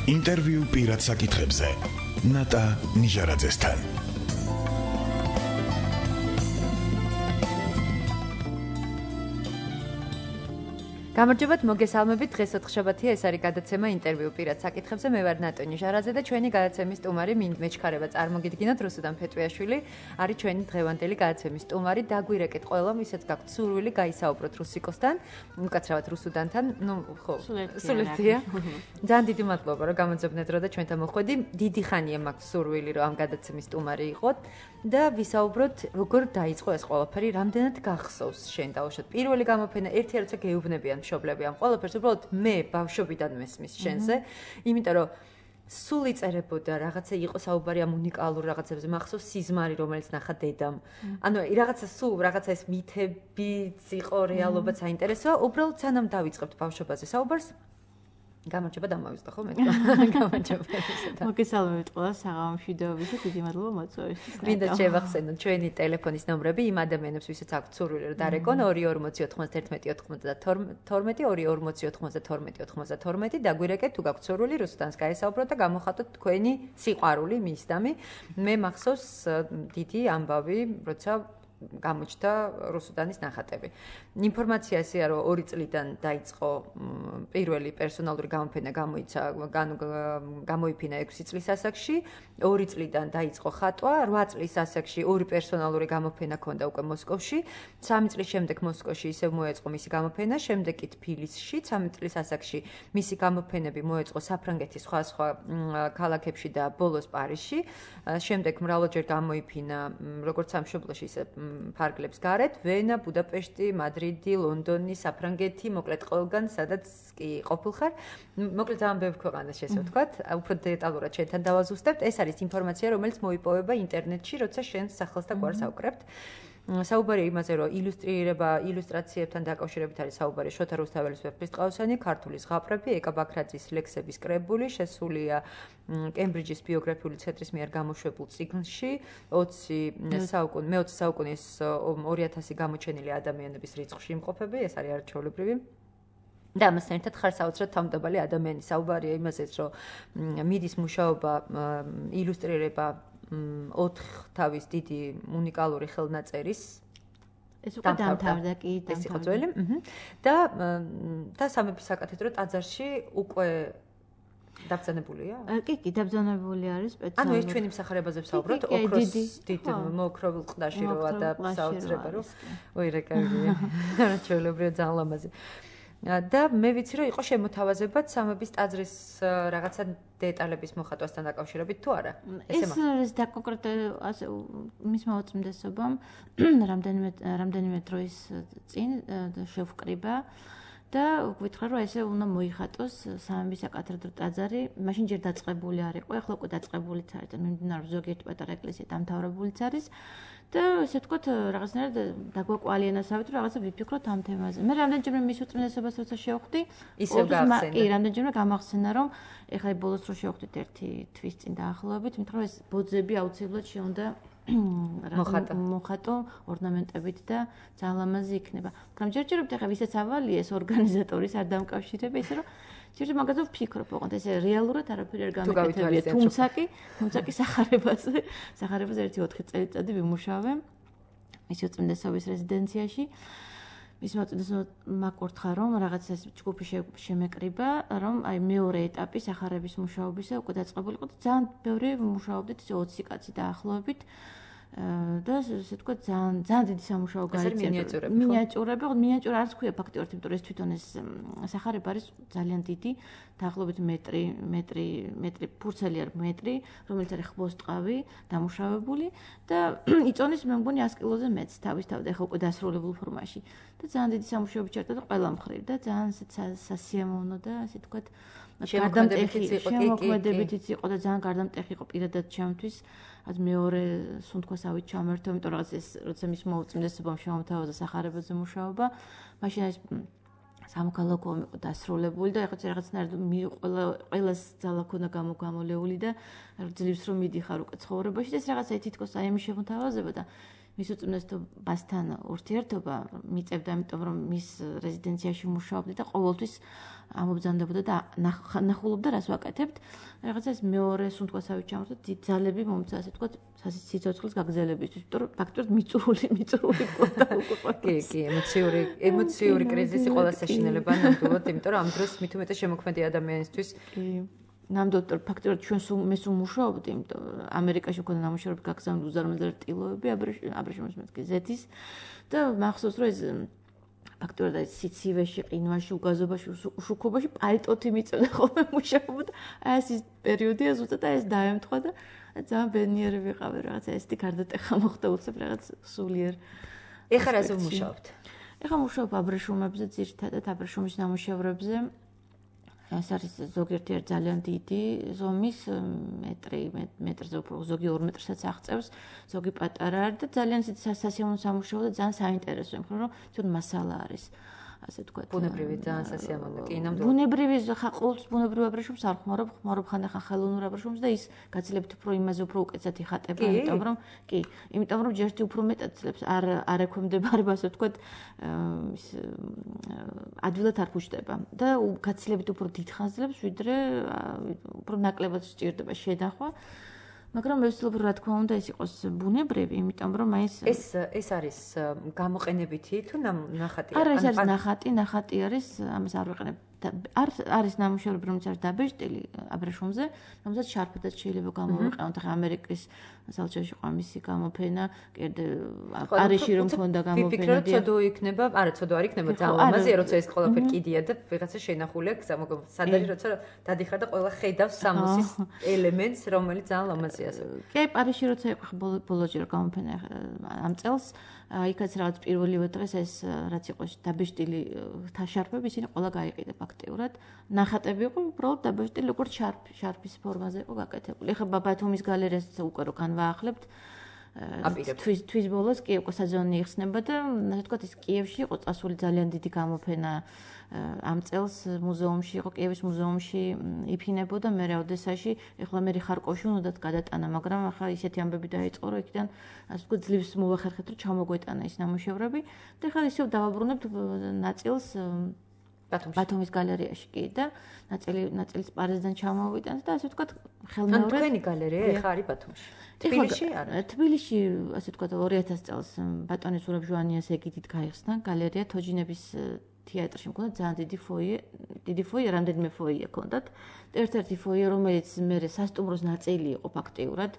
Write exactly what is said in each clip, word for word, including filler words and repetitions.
ინტერვიუ პირად საკითხებზე ნატა ნიჟარაძესთან. გამარჯობათ, მოგესალმებით. დღეს ოთხშაბათია, ეს არის გადაცემა ინტერვიუ პირად საკითხებზე. მე ვარ ნატა ნიჟარაძე და ჩვენი გადაცემის სტუმარი მეჩქარება წარმოგიდგინოთ რუსუდან ფეტვიაშვილი, არის ჩვენი დღევანდელი გადაცემის სტუმარი. დაგვირეკეთ ყველამ, ვისაც გაქვთ სურვილი გაისაუბროთ რუსიკოსთან, უკაცრავად რუსუდანთან. ნუ ხო, სულეთია. ძალიან დიდი მადლობა, რომ გამოძებნეთ დრო და ჩვენთან მოხვედი. დიდი ხანია მაქვს სურვილი, რომ ამ გადაცემის სტუმარი იყოთ და ვისაუბროთ, როგორ დაიწყო ეს ყველაფერი, რამდენად გახსოვს შენ დაუშვათ. პირველი გამოფენა ერთი როცა გეუბნებიან მშობლები ამ ყველაფერს, უბრალოდ მე ბავშვობიდან მესმის შენზე, იმიტომ რომ სულ იწერებოდა რაღაცა იყო საუბარი ამ უნიკალურ რაღაცებზე, მახსოვს სიზმარი, რომელიც ნახა დედამ. ანუ რაღაცა სულ რაღაცა ეს მითებიც იყო, რეალობაც საინტერესოა, უბრალოდ სანამ დავიწყებთ ბავშვობაზე საუბარს, გამარჯობა დამავიწყდა ხო მე თქვა. გამარჯობა. მოგესალმებით ყველას საღამოში დევით და დიდი მადლობა მოწვევისთვის. მინდა შევახსენოთ ჩვენი ტელეფონის ნომრები იმ ადამიანებს, ვისაც აქვთ სურვილი რომ დარეკონ ორი ორმოცი ოთხმოცდაერთმეტი ოთხმოცდათორმეტი ორი ორმოცი ოთხმოცდათორმეტი ოთხმოცდათორმეტი დაგვირეკეთ თუ გაქვთ სურვილი რუსუდანს გაესაუბროთ და გამოხატოთ თქვენი სიყვარული მისდამი. მე მახსოვს დიდი ამბავი, როცა გამოჩნდა რუსუდანის ნახატები. ინფორმაცია ესეა, რომ ორი წლიდან დაიწყო პირველი პერსონალური გამოფენა გამოიცა, გამოიფინა ექვსი წლის ასაკში, ორი წლიდან დაიწყო ხატვა, რვა წლის ასაკში ორი პერსონალური გამოფენა ჰქონდა უკვე მოსკოვში, სამი წლის შემდეგ მოსკოვში ისევ მოეწყო მისი გამოფენა, შემდეგ კი თბილისში, სამი წლის ასაკში მისი გამოფენები მოეწყო საფრანგეთის სხვა სხვა ქალაქებში და ბოლოს პარიზში, შემდეგ მრავალჯერ გამოიფინა როგორც სამშობლოში, ისე ფარგლებს გარეთ, ვენა, ბუდაპეშტი, მადრიდი, ლონდონი, საფრანგეთი, მოკლედ ყველგან, სადაც კი ყოფილხარ. მოკლედ ძალიან ბევრ ქვეყანას შესაძლოა ვთქვათ, უფრო დეტალურად შენთან დავაზუსტებთ. ეს არის ინფორმაცია, რომელიც მოიპოვება ინტერნეტში, როცა შენ სახელს და გვარს ავკრებთ. საუბარია იმაზე, რომ ილუსტრირება, ილუსტრაციებთან დაკავშირებით არის საუბარი შოთა რუსთაველის ვეფხისტყაოსანი, ქართული ზღაპრები, ეკა ბაქრაძის ლექსების კრებული, შესულია კემბრიჯის ბიოგრაფიული ცენტრის მიერ გამოშვებულ წიგნში, ოცი საუკუნე, მეოცე საუკუნის ორი ათასი გამოჩენილი ადამიანების რიცხვში იმყოფები, ეს არის არაჩვეულებრივი. და ამასთან ერთად ხარ საოცრად თავმდაბალი ადამიანი. საუბარია იმაზეც, რომ მიდის მუშაობა, ილუსტრირება ოთხ თავის დიდი უნიკალური ხელნაწერის ეს უკვე დამთავრდა კი დამთავრდა და და სამების საკათედრო ტაძარში უკვე დაბრძანებულია? კი, კი, დაბრძანებული არის სპეციალურად. ანუ ეს ჩვენი მსახარებაზე ვსაუბრობთ, ოქროს დიდ მოოქროვილ ყდაში როა და საოცრება რო. ოი რა კარგია. არაჩვეულებრივი ძალიან ლამაზი. და მე ვიცი რომ იყო შემოთავაზებად სამების ტაძრის რაღაცა დეტალების მოხატვასთან დაკავშირებით თუ არა? ეს არის და კონკრეტულად ასე მისმა უწმიდესობამ რამდენიმე რამდენიმე დროის წინ შევკრიბა და გვითხრა რომ ესე უნდა მოიხატოს სამების საკათედრო ტაძარი, მაშინ ჯერ დაწყებული არ იყო, ახლა უკვე დაწყებულიც არის და მიმდინარე ზოგიერთი პატარა ეკლესია დამთავრებულიც არის. და ესე ვთქვათ, რაღაცნაირად დაგვაკვალიანასავით, რომ რაღაცა ვიფიქროთ ამ თემაზე. მე რამდენჯერმე მის უწმიდესობას როცა შევხვდი, ისევ გაახსენა. კი, რამდენჯერმე გამახსენა, რომ ეხლა ბოლოს რო შევხვდით ერთი თვის წინ დაახლოებით, იმიტომ რომ ეს ბოძები აუცილებლად შეუნდა მოხატო ორნამენტებით და ძალიან ლამაზი იქნება. მაგრამ ჯერჯერობით ეხლა ვისაც ავალია ეს ორგანიზატორის არ დამკავშირება, ისე რომ ჯერ მაგაზე ვფიქრობ, ოღონდ ეს რეალურად არაფერი არ გამეკეთებია, თუმცა კი, თუმცა კი სახარებაზე, სახარებაზე ერთი ოთხი წელიწადი ვიმუშავე მის უწმიდესობის რეზიდენციაში. მის უწმიდესობამ მაკურთხა, რომ რაღაცა ჯგუფი შემეკრიბა, რომ აი მეორე ეტაპი სახარების მუშაობისა უკვე დაწყებული იყო და ძალიან ბევრი მუშაობდით, ოცი κაცი დაახლოებით. და ესე თქვა ძალიან ძალიან დიდი სამუშაო გაიწია. მინიატიურები, მინიატიურა არც ქვია ფაქტიურად, იმიტომ რომ ეს თვითონ ეს სახარება არის ძალიან დიდი, დაახლოებით მეტრი, მეტრი, მეტრი ფურცელი არის მეტრი, რომელიც არის ხბოსტყავი, დამუშავებული და იწონის მე მგონი ას კილოზე მეც თავისთავად, ეხლა უკვე დასრულებულ ფორმაში. და ძალიან დიდი სამუშაოები ჩერდა და ყველა მხრივ და ძალიან სასიამოვნო და ასე თქვა შემოქმედებითიც იყო და ძალიან გარდამტეხი იყო პირადად ჩემთვის. ად მეორე სუნთქვასავით ჩამერთო, იმიტომ რომ ეს როცა მის მოუწმიდესობამ შემოთავაზა სახარებაზე მუშაობა, მაშინ ეს სამოქალაქო იყო დასრულებული და ეხლა რაღაცნაირად ყველა ყველას ძალა ქონდა გამოგამოლეული და ძლივს რომ მიდიხარ უკვე ცხოვრებაში და ეს რაღაცა თითქოს აი ამის შემოთავაზება და მის უწმნესობასთან ურთიერთობა მიწევდა, იმიტომ რომ მის რეზიდენციაში მუშაობდა და ყოველთვის ამობრძანდებოდა და ნახულობდა რას ვაკეთებთ. რაღაცა ეს მეორე სუნთქვასავით ჩამორდა დიდ ძალები მომცა, ასე ვთქვათ, სიცოცხლის გაგრძელებისთვის, იმიტომ რომ ფაქტობრივად მიწურული მიწურული ყოდა უკვე. კი, კი, ემოციური ემოციური კრიზისი ყველა საშინელება ნამდვილად, იმიტომ რომ ამ დროს მით უმეტეს შემოქმედი ადამიანისთვის კი ნამდვილად ფაქტობრივად ჩვენ სულ მე სულ მუშაობდი, იმიტომ ამერიკაში მქონდა ნამუშევრები გაგზავნილი უზარმაზარი ტილოები აბრეშუმის მეთქი ზეთის და მახსოვს რომ ეს ფაქტობრივად ეს სიცივეში, ყინვაში, უგაზობაში, უშუქობაში პალტოთი მიწევდა ხოლმე მუშაობდა. აი ეს ის პერიოდია ზუსტად ეს დაემთხვა და ძალიან ბედნიერი ვიყავი რაღაცა ესეთი გარდატეხა მოხდა უცებ რაღაც სულიერ. ეხლა რაზე ვმუშაობთ? ეხლა მუშაობ აბრეშუმებზე, ძირითადად აბრეშუმის ნამუშევრებზე. ეს არის ზოგიერთი ძალიან დიდი ზომის მეტრი, მეტრზე უფრო ზოგი ორ მეტრსაც აღწევს, ზოგი პატარა არის და ძალიან სასიამოვნო სამუშაო და ძალიან საინტერესო, იმიტომ რომ თვითონ მასალა არის. ასე ვთქვათ. ბუნებრივი ძალიან სასიამოვნო. კი, ნამდვილად. ბუნებრივი ხა ყოველთვის ბუნებრივ აბრეშუმს არ ხმარობ, ხმარობ ხანდახან ხელოვნურ აბრეშუმს და ის გაცილებით უფრო იმაზე უფრო უკეთესად იხატება, იმიტომ რომ კი, იმიტომ რომ ჯერჯერობით უფრო მეტად ძლებს არ არ ექვემდებარება, ასე ვთქვათ, ის ადვილად არ ფუჭდება და გაცილებით უფრო დიდხანს ძლებს, ვიდრე უფრო ნაკლებად სჭირდება შედახვა. მაგრამ მე ვცდილობ რა თქმა უნდა ეს იყოს ბუნებრივი, იმიტომ რომ აი ეს ეს ეს არის გამოყენებითი თუ ნახატი? არა, ეს არის ნახატი, ნახატი არის, ამას არ ვიყენებ. არ არის ნამუშევრები, რომელიც არის დაბეჭდილი აბრეშუმზე, რომელსაც შარფადაც შეიძლება გამოვიყენოთ. ახლა ამერიკის საელჩოში ყო მისი გამოფენა, კიდე პარიზში რომ მქონდა გამოფენა. ვიფიქრე, ცოდო იქნება, არა, ცოდო არ იქნება ძალიან ლამაზია, როცა ეს ყველაფერი კიდია და ვიღაცა შენახულია, სად არის, როცა დადიხარ და ყველა ხედავს სამოსის ელემენტს, რომელიც ძალიან ლამაზია. კი, პარიზში როცა იყო ბოლოჯერ გამოფენა ამ წელს, იქაც რაღაც პირველივე დღეს ეს რაც იყო დაბეჭდილი თაშარფები, ისინი ყველა გაიყიდა ფაქტიურად. ნახატები იყო უბრალოდ დაბეჭდილი, როგორც შარფი, შარფის ფორმაზე იყო გაკეთებული. ეხლა ბათუმის გალერეას უკვე რო განვაახლებთ. თვის თვის ბოლოს კი უკვე საძონი იხსნება და ასე ვთქვათ ის კიევში იყო წასული ძალიან დიდი გამოფენა ამ წელს მუზეუმში იყო, კიევის მუზეუმში იფინებოდა, მერე ოდესაში, ეხლა მე ხარკოვში უნდათ გადატანა, მაგრამ ახლა ისეთი ამბები დაიწყო, რომ იქიდან ასე ვთქვათ ძლივს მოვახერხეთ, რომ ჩამოგვეტანა ის ნამუშევრები და ახლა ისევ დავაბრუნებთ ნაწილს ბათუმის გალერეაში კი და ნაწილი ნაწილს პარიზიდან ჩამოვიტანთ და ასე ვთქვათ ხელმეორედ. ან თქვენი გალერეა ეხლა არის ბათუმში. თბილისში არა. თბილისში ასე ვთქვათ ორი ათას წელს ბატონის ურაბ ჟვანიას ეგიდით გაიხსნა გალერეა თოჯინების თეატრში მქონდა ძალიან დიდი ფოიე, დიდი ფოიე, რამდენიმე ფოიე ჰქონდათ. ერთ-ერთი ფოიე, რომელიც მე სასტუმროს ნაწილი იყო ფაქტიურად.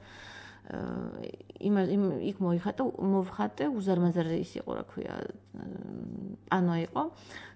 იმ იქ მოიხატა, მოვხატე, უზარმაზარი ის იყო, რა ქვია, პანო იყო.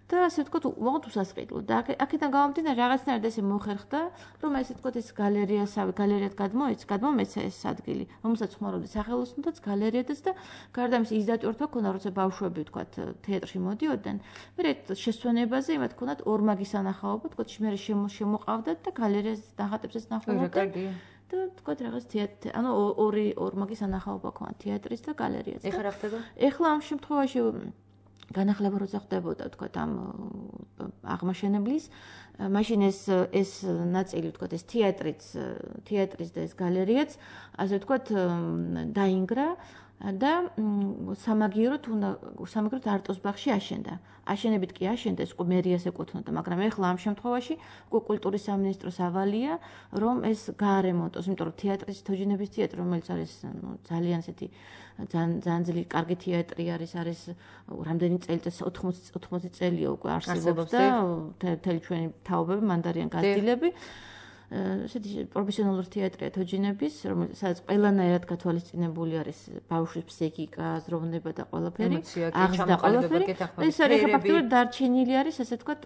და ასე ვთქვათ, უბრალოდ უსასყიდლო. და აქედან გამომდინარე რაღაცნაირად ესე მოხერხდა, რომ ესე ვთქვათ ეს გალერეასავე, გალერეად გადმოეცა, გადმომეცა ეს ადგილი, რომელსაც ხმარობდი სახელოსნოდაც, გალერეადაც და გარდა ამისა ის დატვირთვა ქონდა, როცა ბავშვები ვთქვათ თეატრში მოდიოდნენ, მე შესვენებაზე იმათ ქონდათ ორმაგი სანახაობა, ვთქვათ, მე შემოყავდათ და გალერეას ნახატებსაც ნახულობდნენ. და ვთქვათ რაღაც თეატრი, ანუ ორი ორმაგი სანახაობა ქონდა თეატრის და გალერეას. ეხლა რა ხდება? ეხლა ამ შემთხვევაში განახლება როცა ხდებოდა თქვათ ამ აღმაშენებლის, მაშინ ეს ეს ნაწილი თქვათ ეს თეატრიც, თეატრის და ეს გალერეაც, ასე ვთქვათ, დაინგრა და სამაგიეროდ უნდა სამაგიეროდ არტოს ბაღში აშენდა. აშენებით კი აშენდა, ეს უკვე მერიას ეკუთვნოდა, მაგრამ ეხლა ამ შემთხვევაში უკვე კულტურის სამინისტროს ავალია, რომ ეს გაარემონტოს, იმიტომ რომ თეატრის თოჯინების თეატრი, რომელიც არის ძალიან ესეთი ძალიან ძალიან ძლიერი კარგი თეატრი არის, არის რამდენი წელიწადი ოთხმოცი ოთხმოცი წელია უკვე არსებობს და მთელი ჩვენი თაობები მან არიან გაზრდილები. ესეთი პროფესიონალური თეატრია თოჯინების, რომელსაც ყველანაირად გათვალისწინებული არის ბავშვის ფსიქიკა, აზროვნება და ყველაფერი, აღზრდა ყველაფერი. ეს არის ფაქტობრივად დარჩენილი არის, ასე ვთქვათ,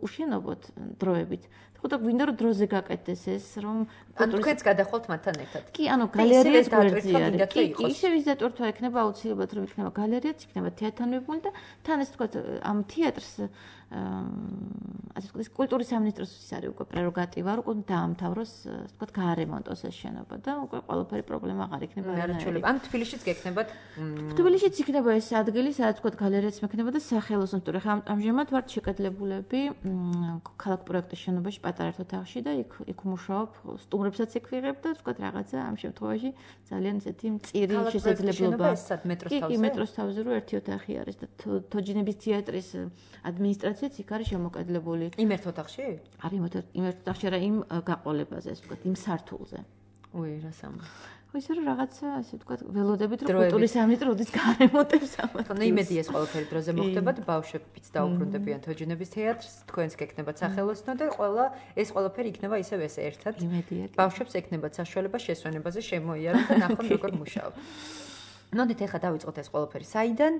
უშენობოდ დროებით. ხოდა გვინდა რომ დროზე გაკეთდეს ეს, რომ ანუ თქვენც გადახვალთ მათთან ერთად. კი, ანუ გალერეის გვერდზე არის. კი, ისევ ის დატვირთვა ექნება აუცილებლად, რომ იქნება გალერეაც, იქნება თეატრთან მიბმული და თან ეს ვთქვათ, ამ თეატრს ასე ვთქვათ, კულტურის სამინისტროს არის უკვე პრეროგატივა, რომ უკვე დაამთავროს, ასე ვთქვათ, გაარემონტოს ეს შენობა და უკვე ყველაფერი პრობლემა აღარ იქნება. არაჩვეულებრივი. ან თბილისშიც გექნებათ? თბილისშიც იქნება ეს ადგილი, სადაც ვთქვათ, გალერეაც მექნება და სახელოსნო, თორე ხა ამჟამად ვართ შეკეთლებულები ქალაქ პროექტის შენობაში პატარა ოთახში და იქ იქ მუშაობ, სტუმრებსაც იქ ვიღებ და თქვა რაღაცა ამ შემთხვევაში ძალიან ესეთი მწირი შესაძლებლობა. კი, მეტროს თავზე რო ერთი ოთახი არის და თოჯინების თეატრის ადმინისტრაციაც იქ არის შემოკადლებული. იმ ერთ ოთახში? არის იმ ერთ ოთახში რა იმ გაყოლებაზე, ასე ვთქვათ, იმ სართულზე. უი, რა სამა. ისე რომ რაღაცა ასე ვთქვათ ველოდებით რომ კულტურის სამინისტრო როდის გარემოტებს ამას. თქო, იმედი ეს ყველაფერი დროზე მოხდებათ, ბავშვებიც დაუბრუნდებიან თოჯინების თეატრს, თქვენს გეკნებათ სახელოსნო და ყველა ეს ყველაფერი იქნება ისევ ესე ერთად. ბავშვებს ეკნებათ საშუალება შესვენებაზე შემოიარონ და ნახონ როგორ მუშაობ. ნოდით ახლა დავიწყოთ ეს ყველაფერი. საიდან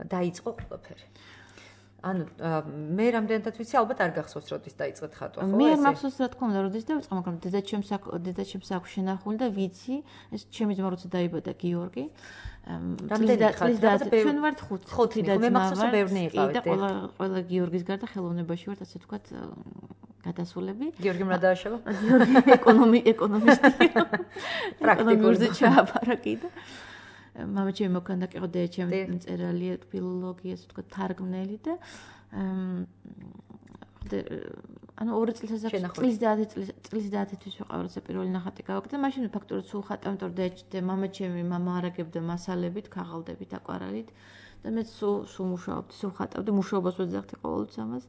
დაიწყო ყველაფერი? ანუ მე რამდენადაც ვიცი, ალბათ არ გახსოვს როდის დაიწყეთ ხატვა, ხო? მე არ მახსოვს რა თქმა უნდა, როდის დავიწყე, მაგრამ დედაჩემს დედაჩემს აქვს შენახული და ვიცი, ეს ჩემი ძმა როცა დაიბადა გიორგი. რამდენი ხარ? ჩვენ ვართ ხუთი და მე მახსოვს რომ ბევრნი იყავით. და ყველა ყველა გიორგის გარდა ხელოვნებაში ვართ, ასე ვთქვათ, გადასულები. გიორგი რა დააშავა? გიორგი ეკონომი ეკონომისტია. პრაქტიკულზე ჩააბარა კიდე. მამა ჩემი მოქანდა კი ყო დედაჩემი მწერალია, ფილოლოგი, ასე ვთქვათ, თარგმნელი და ანუ ორი წლის ასაკში წლის და ათი წლის წლის და ათი თვის ვიყავ, როცა პირველი ნახატი გავაკეთე. მაშინ ფაქტობრივად სულ ხატავ, იმიტომ რომ მამა ჩემი მამა არაგებდა მასალებით, ქაღალდებით, აკვარელით და მე სულ სულ მუშაობდი, სულ ხატავდი, მუშაობას ვეძახდი ყოველთვის ამას.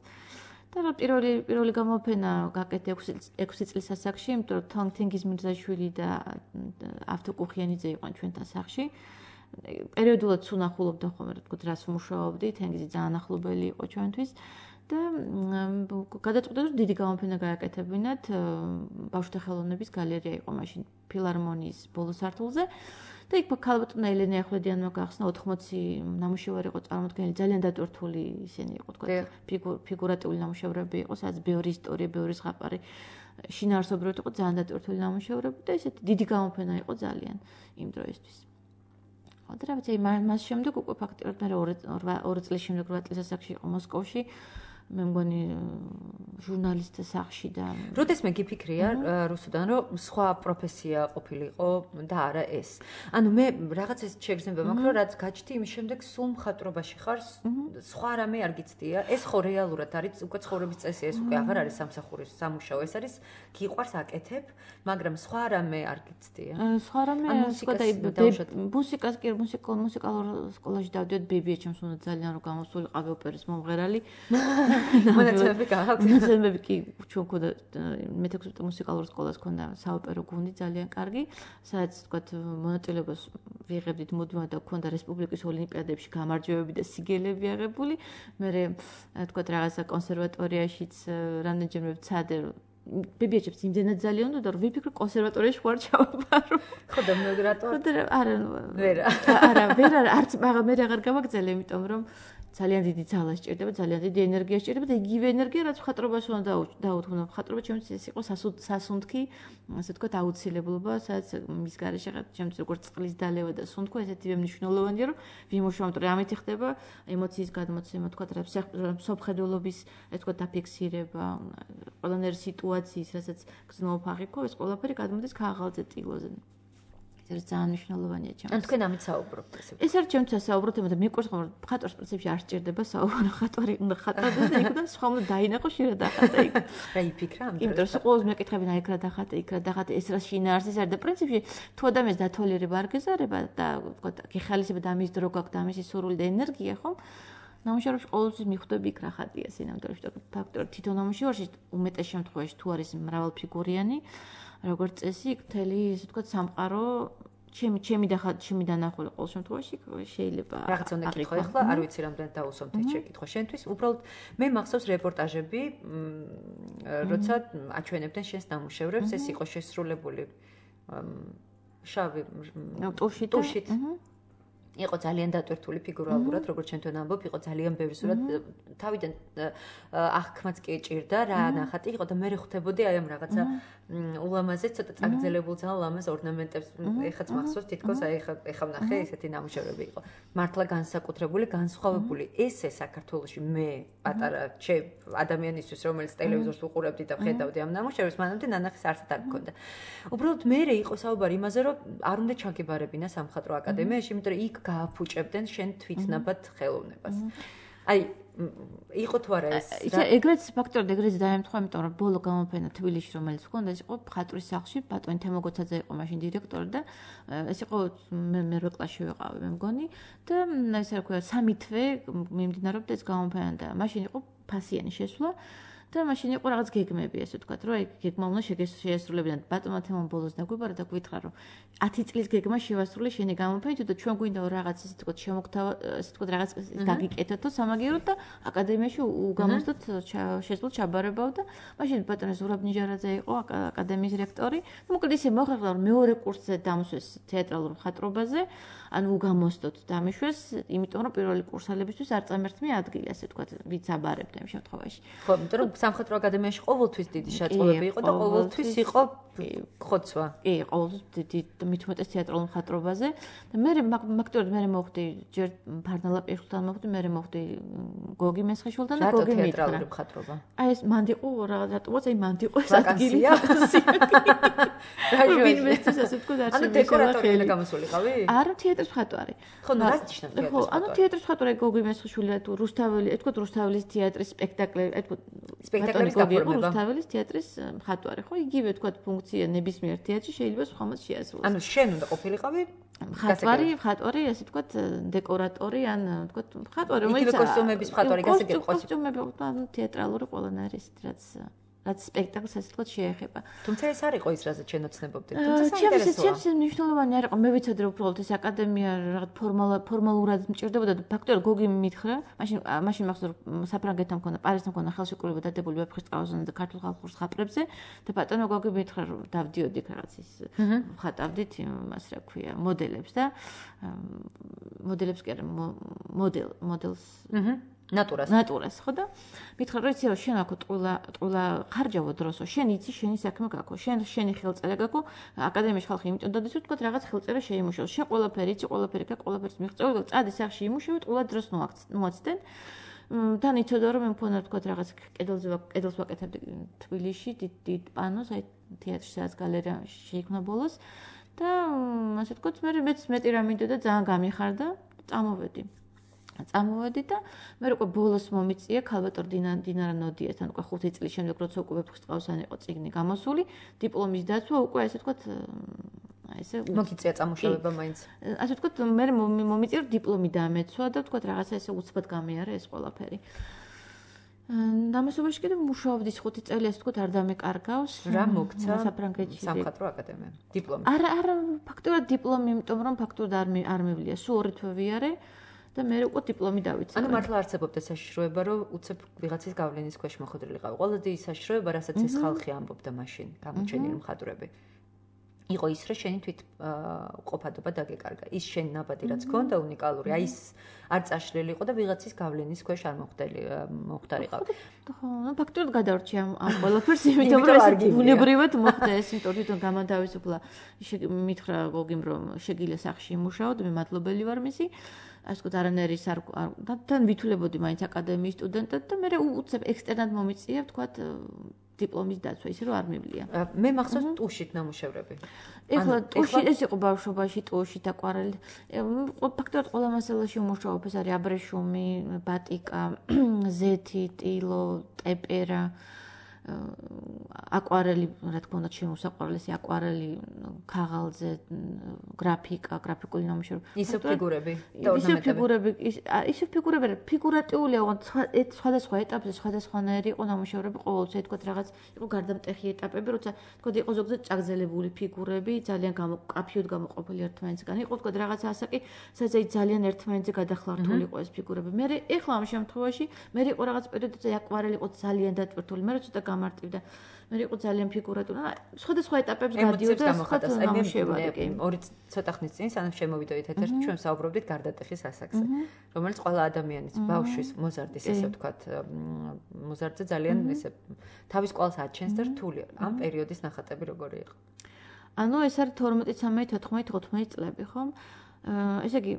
და რა პირველი პირველი გამოფენა გაკეთე ექვსი წლის ასაკში, იმიტომ რომ თანგთენგიზ მირზაშვილი და ავთო კუხიანიძე იყვნენ ჩვენთან სახლში. პერიოდულად სუნახულობდა ხოლმე, რა თქმა, რას მუშაობდი, თენგიზი ძალიან ახლობელი იყო ჩვენთვის და გადაწყვიტე რომ დიდი გამოფენა გააკეთებინათ ბავშვთა ხელოვნების გალერეა იყო მაშინ ფილარმონიის ბოლო სართულზე. და იქ ქალბატონი ელენე ახვლედიანმა გახსნა ოთხმოცი ნამუშევარი იყო წარმოდგენილი, ძალიან დატვირთული ისინი იყო, თქვა ფიგურატიული ნამუშევრები იყო, სადაც ბევრი ისტორია, ბევრი ზღაპარი, შინაარსობრივად იყო ძალიან დატვირთული ნამუშევრები და ესეთი დიდი გამოფენა იყო ძალიან იმ დროისთვის. და რა ვიცი, მას შემდეგ უკვე ფაქტობრივად მე ორი წლის შემდეგ რვა წლის ასაკში იყო მოსკოვში. მე მგონი ჟურნალისტთა სახლში და როდეს მე გიფიქრია რუსუდან რომ სხვა პროფესია ყოფილიყო და არა ეს. ანუ მე რაღაც ეს შეგრძნება მაქვს რომ რაც გაჩნდი იმის შემდეგ სულ მხატვრობაში ხარ, სხვა რამე არ გიცდია. ეს ხო რეალურად არის უკვე ცხოვრების წესი, ეს უკვე აღარ არის სამსახურის სამუშაო, ეს არის გიყვარს აკეთებ, მაგრამ სხვა რამე არ გიცდია. სხვა რამე სხვა და მუსიკას კი მუსიკალურ მუსიკალურ სკოლაში დავდიოდ ბებიაჩემს უნდა ძალიან რომ გამოსულიყავი ოპერის მომღერალი. მონაცემები გააქვთ. მონაცემები კი ჩვენ ქონდა მეთექვსმეტე მუსიკალურ სკოლას ქონდა საოპერო გუნდი ძალიან კარგი, სადაც თქვათ მონაწილეობას ვიღებდით მუდმივად და ქონდა რესპუბლიკის ოლიმპიადებში გამარჯვებები და სიგელები აღებული. მე თქვათ რაღაცა კონსერვატორიაშიც რამდენჯერმე ვცადე ბებიაჩემს იმდენად ძალიან უნდა რომ ვიფიქრე კონსერვატორიაში ვარ ჩავაბარო. ხო და მე რატო? ხო და არა ვერა. არა, ვერა არც მაგრამ მე აღარ გავაგზელე, იმიტომ რომ ძალიან დიდი ძალა სჭირდება, ძალიან დიდი ენერგია სჭირდება და იგივე ენერგია რაც მხატვრობას უნდა დაუთმო. მხატვრობა ჩემთვის ეს იყო სასუნთქი, ასე ვთქვათ, აუცილებლობა, სადაც მის გარეშე ჩემთვის როგორც წყლის დალევა და სუნთქვა ესეთივე მნიშვნელოვანია, რომ ვიმუშაოთ, რომ ამით ხდება ემოციის გადმოცემა, ვთქვათ, სოფხედულობის, ასე ვთქვათ, დაფიქსირება, ყველანაირი სიტუაციის, რასაც გზნობ აღიქვა, ეს ყველაფერი გადმოდის ქაღალდზე, ტილოზე. ეს ძალიან მნიშვნელოვანია ჩემთვის. ან თქვენ ამით საუბრობთ ესე. ეს არის ჩემთვის საუბრობთ, მაგრამ მეყვარს ხომ ხატვას პრინციპში არ სჭირდება საუბრო, ხატვარი უნდა ხატავდეს და იქ და სხვა უნდა დაინახო შეიძლება დახატე იქ. რა იფიქრა ამ დროს? იმიტომ რომ ყოველს მეკითხებინა იქ რა დახატე, იქ რა დახატე, ეს რა შინაარსის არის და პრინციპში თუ ადამიანს დათვალიერება არ გეზარება და ვთქვათ, გეხალისება და ამის დრო გაქვს და ამისი სურვილი და ენერგია, ხომ? ნამუშევრებში ყოველთვის მიხვდები იქ რა ხატია სინამდვილეში და ფაქტობრივად თვითონ ნამუშევარში უმეტეს შემთხვევაში თუ არის მრავალფიგურიანი როგორც წესი, იქ მთელი, ესე ვთქვათ, სამყარო ჩემი ჩემი და ჩემი დანახული ყოველ შემთხვევაში შეიძლება რაღაც უნდა გითხო ახლა, არ ვიცი რამდენად დაუსვამთ ეს შეკითხვა შენთვის. უბრალოდ მე მახსოვს რეპორტაჟები, როცა აჩვენებდნენ შენს ნამუშევრებს, ეს იყო შესრულებული შავი ტუშით. იყო ძალიან დატვირთული ფიგურალურად, როგორც ჩვენ თან ამბობ, იყო ძალიან ბევრი სურათ. თავიდან აღქმაც კი ეჭირდა რა ნახატი იყო და მე ხვდებოდი აი ამ რაღაცა ულამაზე ცოტა წაგრძელებულ ძალიან ლამაზ ორნამენტებს ეხაც მახსოვს თითქოს აი ეხა ეხა ვნახე ესეთი ნამუშევრები იყო. მართლა განსაკუთრებული, განსხვავებული. ესე საქართველოში მე პატარა ჩემ ადამიანისთვის რომელიც ტელევიზორს უყურებდი და ხედავდი ამ ნამუშევრებს, მანამდე ნანახის არსად არ მქონდა. უბრალოდ მე იყო საუბარი იმაზე, რომ არ უნდა ჩაგებარებინა სამხატვრო აკადემიაში, იმიტომ რომ იქ გააფუჭებდნენ შენ თვითნაბად ხელოვნებას. აი იყო თუ არა ეს? იცი, ეგრეც ფაქტორად ეგრეც დაემთხვა, იმიტომ რომ ბოლო გამოფენა თბილისში, რომელიც ჰქონდა, ეს იყო მხატვრის სახლში, ბატონი თემოგოცაძე იყო მაშინ დირექტორი და ეს იყო მე მერვე კლასში ვიყავი, მე მგონი და ესე რა ქვია, სამი თვე მიმდინარეობდა ეს გამოფენა და მაშინ იყო ფასიანი შესვლა. და მაშინ იყო რაღაც გეგმები, ესე ვთქვათ, რომ აი გეგმა უნდა შეესრულებინათ. ბატონმა თემამ ბოლოს დაგვიბარა და გვითხრა, რომ ათი წლის გეგმა შევასრულე შენი გამოფენით და ჩვენ გვინდა რაღაც ესე ვთქვათ, შემოგთავა, ესე ვთქვათ, რაღაც გაგიკეთოთ სამაგიეროდ და აკადემიაში უგამოსდოთ შესულ ჩაბარებავ და მაშინ ბატონი ზურაბ ნიჟარაძე იყო აკადემიის რექტორი. და მოკლედ ისე მოხერხდა, რომ მეორე კურსზე დამსვეს თეატრალურ მხატვრობაზე, ანუ უგამოსდოთ დამეშვეს, იმიტომ რომ პირველი კურსალებისთვის არ წამერთმე ადგილი, ასე ვთქვათ, ვიც აბარებდა იმ შემთხვევაში. ხო, იმიტომ რომ სამხატვრო აკადემიაში ყოველთვის დიდი შეწყობები იყო და ყოველთვის იყო ხოცვა. კი, ყოველთვის დიდი მით უმეტეს თეატრალურ მხატვრობაზე და მე მაგ-მაგტორად მე მოხდი ჯერ ფარნალა პეშულთან მოხდი, მე მოხდი გოგი მესხიშვილთან და გოგი მითხრა. თეატრალური მხატვრობა. აი ეს მანდიყო რაღაც რატომაც აი მანდიყო ეს ადგილი. რა ვინმესთვის ასე ვთქვათ, არ ანუ დეკორატორი უნდა გამოსულიყავი? არა, თეატრის მხატვარი. ხო, რა ნიშნავს თეატრის მხატვარი? ანუ თეატრის მხატვარი გოგი მესხიშვილი თუ რუსთაველი, ეთქვი რუსთაველის თეატრის სპექტაკლები, ეთქვი სპექტაკლის გაფორმება. რუსთაველის თეატრის მხატვარი, ხო, იგივე ვთქვათ ფუნქცია ნებისმიერ თეატრში შეიძლება სხვამაც შეასრულოს. ანუ შენ უნდა ყოფილიყავი მხატვარი, მხატვარი, ასე ვთქვათ, დეკორატორი, ან ვთქვათ, მხატვარი, რომელიც იგივე კოსტიუმების მხატვარი გასაგები ყოს. კოსტიუმები, ანუ თეატრალური ყველანაირი ისეთ რაც რაც სპექტაკლს ასე ვთქვათ შეეხება. თუმცა ეს არ იყო ის, რაზეც შენ ოცნებობდი. თუმცა საინტერესოა. ჩემს მნიშვნელოვანი არ იყო. მე ვიცოდი რომ უბრალოდ ეს აკადემია რაღაც ფორმალურად მჭირდებოდა და ფაქტობრივად გოგი მითხრა, მაშინ მაშინ მახსოვს რომ საფრანგეთთან მქონდა, პარიზთან მქონდა ხელშეკრულება დადებული ვეფხისტყაოსანზე და ქართულ ხალხურ ხაპრებზე და ბატონო გოგი მითხრა რომ დავდიოდი რაღაც ის ხატავდით იმას რა ქვია, მოდელებს და მოდელებს კი არა, მოდელ, მოდელს ნატურას. ნატურას, ხო და მითხრა რომ იცი რომ შენ აქ ტყუილა ტყუილა ხარჯავო დროსო, შენ იცი შენი საქმე გაქო, შენ შენი ხელწერა გაქო, აკადემიაში ხალხი იმიტომ დადის რომ თქვა რაღაც ხელწერა შეიმუშაოს. შენ ყველაფერი იცი, ყველაფერი გაკ, ყველაფერს მიღწევი, წადი სახში იმუშავე, ტყუილა დროს ნუაცდენ. თან იცოდა რომ მე მქონდა თქვა რაღაც კედელზე კედელს ვაკეთებდი თბილისში, დიდ დიდ პანოს, აი თეატრში სადაც გალერეა შეიქმნა ბოლოს და ასე თქვა მე მეც მეტი რა მინდოდა ძალიან გამიხარდა, წამოვედი. წამოვედი და მე უკვე ბოლოს მომიწია ქალბატონ დინარა ნოდიასთან უკვე ხუთი წლის შემდეგ როცა უკვე ვეფხისტყაოსან იყო წიგნი გამოსული, დიპლომის დაცვა უკვე ასე ვთქვათ აი ესე მოგიწია წამუშავება მაინც. ასე ვთქვათ მე მომიწია რომ დიპლომი დამეცვა და ვთქვათ რაღაცა ესე უცბად გამიარა ეს ყველაფერი. დამასობაში კიდევ მუშაობდი ხუთი წელი ასე ვთქვათ არ დამეკარგავს. რა მოგცა საფრანგეთში სამხატვრო აკადემია. დიპლომი. არა, არა, ფაქტობრივად დიპლომი, იმიტომ რომ ფაქტობრივად არ არ მევლია, სულ ორი თვე ვიარე. და მე უკვე დიპლომი დავიცავე. ანუ მართლა არსებობდა საშიშროება, რომ უცებ ვიღაცის გავლენის ქვეშ მოხვედრილიყავი. ყველაზე დიდი საშიშროება, რასაც ეს ხალხი ამბობდა მაშინ, გამოჩენილი მხატვრები. იყო ის, რომ შენი თვით ყოფადობა დაგეკარგა. ის შენი ნაბადი რაც ქონდა უნიკალური, აი ის არ წაშლილი იყო და ვიღაცის გავლენის ქვეშ არ მოხვდელი მოხვდარიყავ. ხო, ну ფაქტობრივად გადავრჩი ამ ამ ყველაფერს, იმიტომ რომ ეს ბუნებრივად მოხდა ეს, იმიტომ თვითონ გამანთავისუფლა. მითხრა გოგიმ რომ შეგიძლია სახში იმუშაო და მე მადლობელი ვარ მისი. ასე ვთქვათ, არანაირის არ თან ვითულებოდი მაინც აკადემიის სტუდენტად და მე უცებ ექსტერნად მომიწია, ვთქვათ, დიპლომის დაცვა, ისე რომ არ მივლია. მე მახსოვს ტუშით ნამუშევრები. ეხლა ტუში ეს იყო ბავშვობაში, ტუშით აკვარელი. ფაქტობრივად ყველა მასალაში ვმუშაობ, ეს არის აბრეშუმი, ბატიკა, ზეთი, ტილო, ტეპერა. აკვარელი, რა თქმა უნდა, შემოსაყვარლესი აკვარელი, ქაღალზე, გრაფიკა, გრაფიკული ნამუშევრები. ისე ფიგურები და ორნამენტები. ისე ფიგურები, ისე ფიგურები, ფიგურატიულია, ოღონდ სხვადასხვა ეტაპზე, სხვადასხვანაირი იყო ნამუშევრები, ყოველთვის თქვა რაღაც იყო გარდამტეხი ეტაპები, როცა თქვა იყო ზოგადად წაგზელებული ფიგურები, ძალიან გამოკაფიოდ გამოყოფილი ერთმანეთისგან. იყო თქვა რაღაც ასაკი, სადაც ძალიან ერთმანეთზე გადახლართული იყო ეს ფიგურები. მე ეხლა ამ შემთხვევაში მე იყო რაღაც პერიოდზე აკვარელი იყო ძალიან დატვირთული, მე ცოტა გამარტივდა. მე იყო ძალიან ფიგურატული. სხვადასხვა ეტაპებს გადიოდა სხვადასხვა ნამუშევრები. ორი ცოტა ხნის წინ სანამ შემოვიდოდით ეთერში, ჩვენ საუბრობდით გარდატეხის ასაკზე, რომელიც ყველა ადამიანის, ბავშვის, მოზარდის, ესე ვთქვათ, მოზარდზე ძალიან ესე თავის კვალს აჩენს და რთულია. ამ პერიოდის ნახატები როგორი იყო? ანუ ეს არის თორმეტი, ცამეტი, თოთხმეტი, ოთხმეტი წლები, ხო? ესე იგი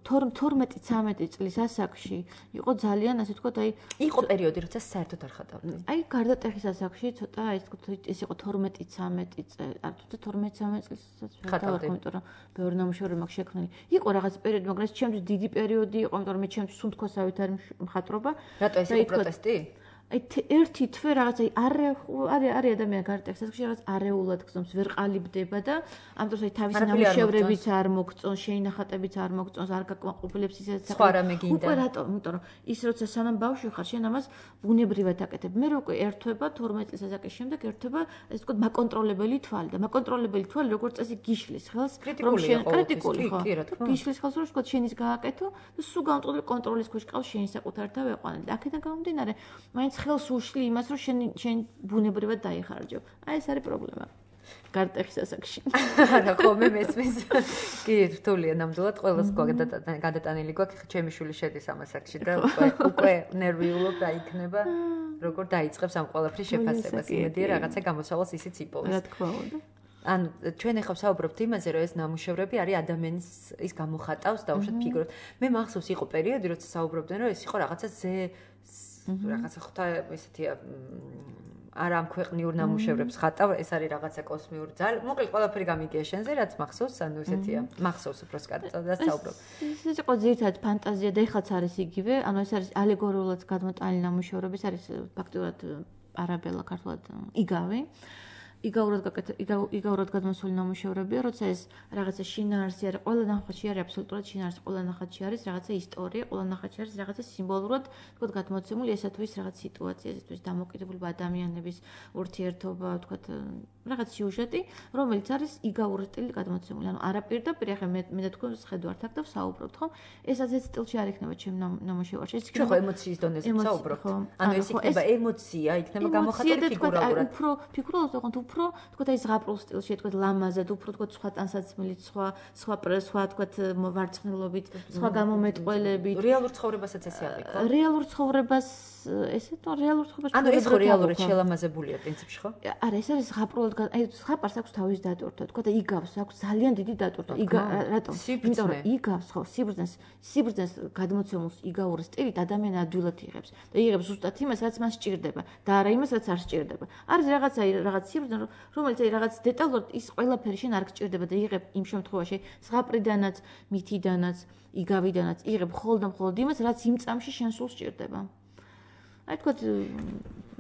თორმეტი ცამეტი წლის ასაკში იყო ძალიან ასე ვთქვათ აი იყო პერიოდი როცა საერთოდ არ ხატავდი. აი გარდატეხის ასაკში ცოტა აი ეს ვთქვათ ეს იყო თორმეტი ცამეტი წელი არ თუნდაც თორმეტი ცამეტი წელსაც ხატავდი, იმიტომ რომ ბევრი ნამუშევარი მაქვს შექმნილი. იყო რაღაც პერიოდი, მაგრამ ეს ჩემთვის დიდი პერიოდი იყო, იმიტომ რომ მე ჩემთვის სუნთქვასავით არის მხატვრობა. რატო ეს იყო პროტესტი? აი ერთი თვე რაღაც აი არ არის ადამიანი გარდატეხის ასაკში რაღაც არეულად გზომს ვერ ყალიბდება და ამიტომ აი თავისი ნამუშევრებიც არ მოგწონს, შეინახატებიც არ მოგწონს, არ გაკმაყოფილებს ისე სხვა რამე გინდა. უკვე რატომ? იმიტომ რომ ის როცა სანამ ბავშვი ხარ, შენ ამას ბუნებრივად აკეთებ. მე რო უკვე ერთვება თორმეტი წლის ასაკის შემდეგ ერთვება ეს თქო მაკონტროლებელი თვალი და მაკონტროლებელი თვალი როგორც წესი გიშლის ხელს, რომ შენ კრიტიკული ხო? გიშლის ხელს რომ თქო შენის გააკეთო და სულ გამწოდებული კონტროლის ქვეშ ყავს შენი საკუთართავ ეყვანა. და აქედან გამომდინარე, მაინც ხელს უშლი იმას, რომ შენ შენ ბუნებრივად დაიხარჯო. აი ეს არის პრობლემა. გარდატეხის ასაკში. არა, ხო, მე მესმის. კი, რთულია ნამდვილად, ყველას გადატანილი გვაქვს, ჩემი შვილი შედის ამ ასაკში და უკვე უკვე ნერვიულობ დაიქნება, როგორ დაიწყებს ამ ყველაფრის შეფასებას. იმედია რაღაცა გამოსავალს ისიც იპოვოს. რა თქმა უნდა. ანუ ჩვენ ახლა ვსაუბრობთ იმაზე, რომ ეს ნამუშევრები არის ადამიანის ის გამოხატავს დაუშვათ ფიგურად. მე მახსოვს იყო პერიოდი, როცა საუბრობდნენ, რომ ეს იყო რაღაცა ზე რაღაცა ხოთა ესეთია არა ამ ქვეყნიურ ნამუშევრებს ხატავ, ეს არის რაღაცა კოსმიური ძალა. მოკლედ ყველაფერი გამიგია შენზე, რაც მახსოვს, ანუ ესეთია. მახსოვს უფრო სკარტად და საუბრობ. ეს იყო ძირითადად ფანტაზია და ეხლაც არის იგივე, ანუ ეს არის ალეგორიულად გადმოტანილი ნამუშევრები, ეს არის ფაქტურად არაბელა ქართულად იგავი. იგაურად გაკეთე იგაურად გადმოსული ნამუშევრებია, როცა ეს რაღაცა შინაარსი არის, ყველა ნახატში არის აბსოლუტურად შინაარსი, ყველა ნახატში არის რაღაცა ისტორია, ყველა ნახატში არის რაღაცა სიმბოლურად, თქო, გადმოცემული ესა თუ ის რაღაც სიტუაცია, ეს თუ ის დამოკიდებულება ადამიანების ურთიერთობა, თქო, რაღაც სიუჟეტი, რომელიც არის იგაურად სტილით გადმოცემული. ანუ არაპირდაპირ ახლა მე მე და თქვენ შეხედვართ აქ და ვსაუბრობთ, ხო? ეს ასეთ სტილში არ იქნება ჩემ ნამუშევარში. ეს იქნება ემოციის დონეზე ვსაუბრობთ. ანუ ეს იქნება ემოცია, იქნება გამოხატული ფიგურალურად. უფრო ფიგურალურად ვიყავთ უფრო თქო აი ზღაპრულ სტილში თქო ლამაზად უფრო თქო სხვა ტანსაცმლით სხვა სხვა სხვა თქო ვარცხნილობით სხვა გამომეტყველებით რეალურ ცხოვრებასაც ესე არის ხო რეალურ ცხოვრებას ესე თუ რეალურ ცხოვრებას ანუ ეს ხო რეალურად შელამაზებულია პრინციპში ხო არა ეს არის ზღაპრულად აი ზღაპარს აქვს თავის დატვირთვა თქო და იგავს აქვს ძალიან დიდი დატვირთვა იგა რატომ იმიტომ რომ იგავს ხო სიბრძნეს სიბრძნეს გადმოცემულს იგაურ სტილით ადამიანი ადვილად იღებს და იღებს ზუსტად იმას რაც მას სჭირდება და არა იმას რაც არ სჭირდება არის რაღაცა რაღაც სიბრძნე რომელიც აი რაღაც დეტალურად ის ყველაფერი შენ არ გჭირდება და იღებ იმ შემთხვევაში ზღაპრიდანაც მითიდანაც იგავიდანაც იღებ მხოლოდ და მხოლოდ იმას რაც იმ წამში შენ სულ სჭირდება აი თქო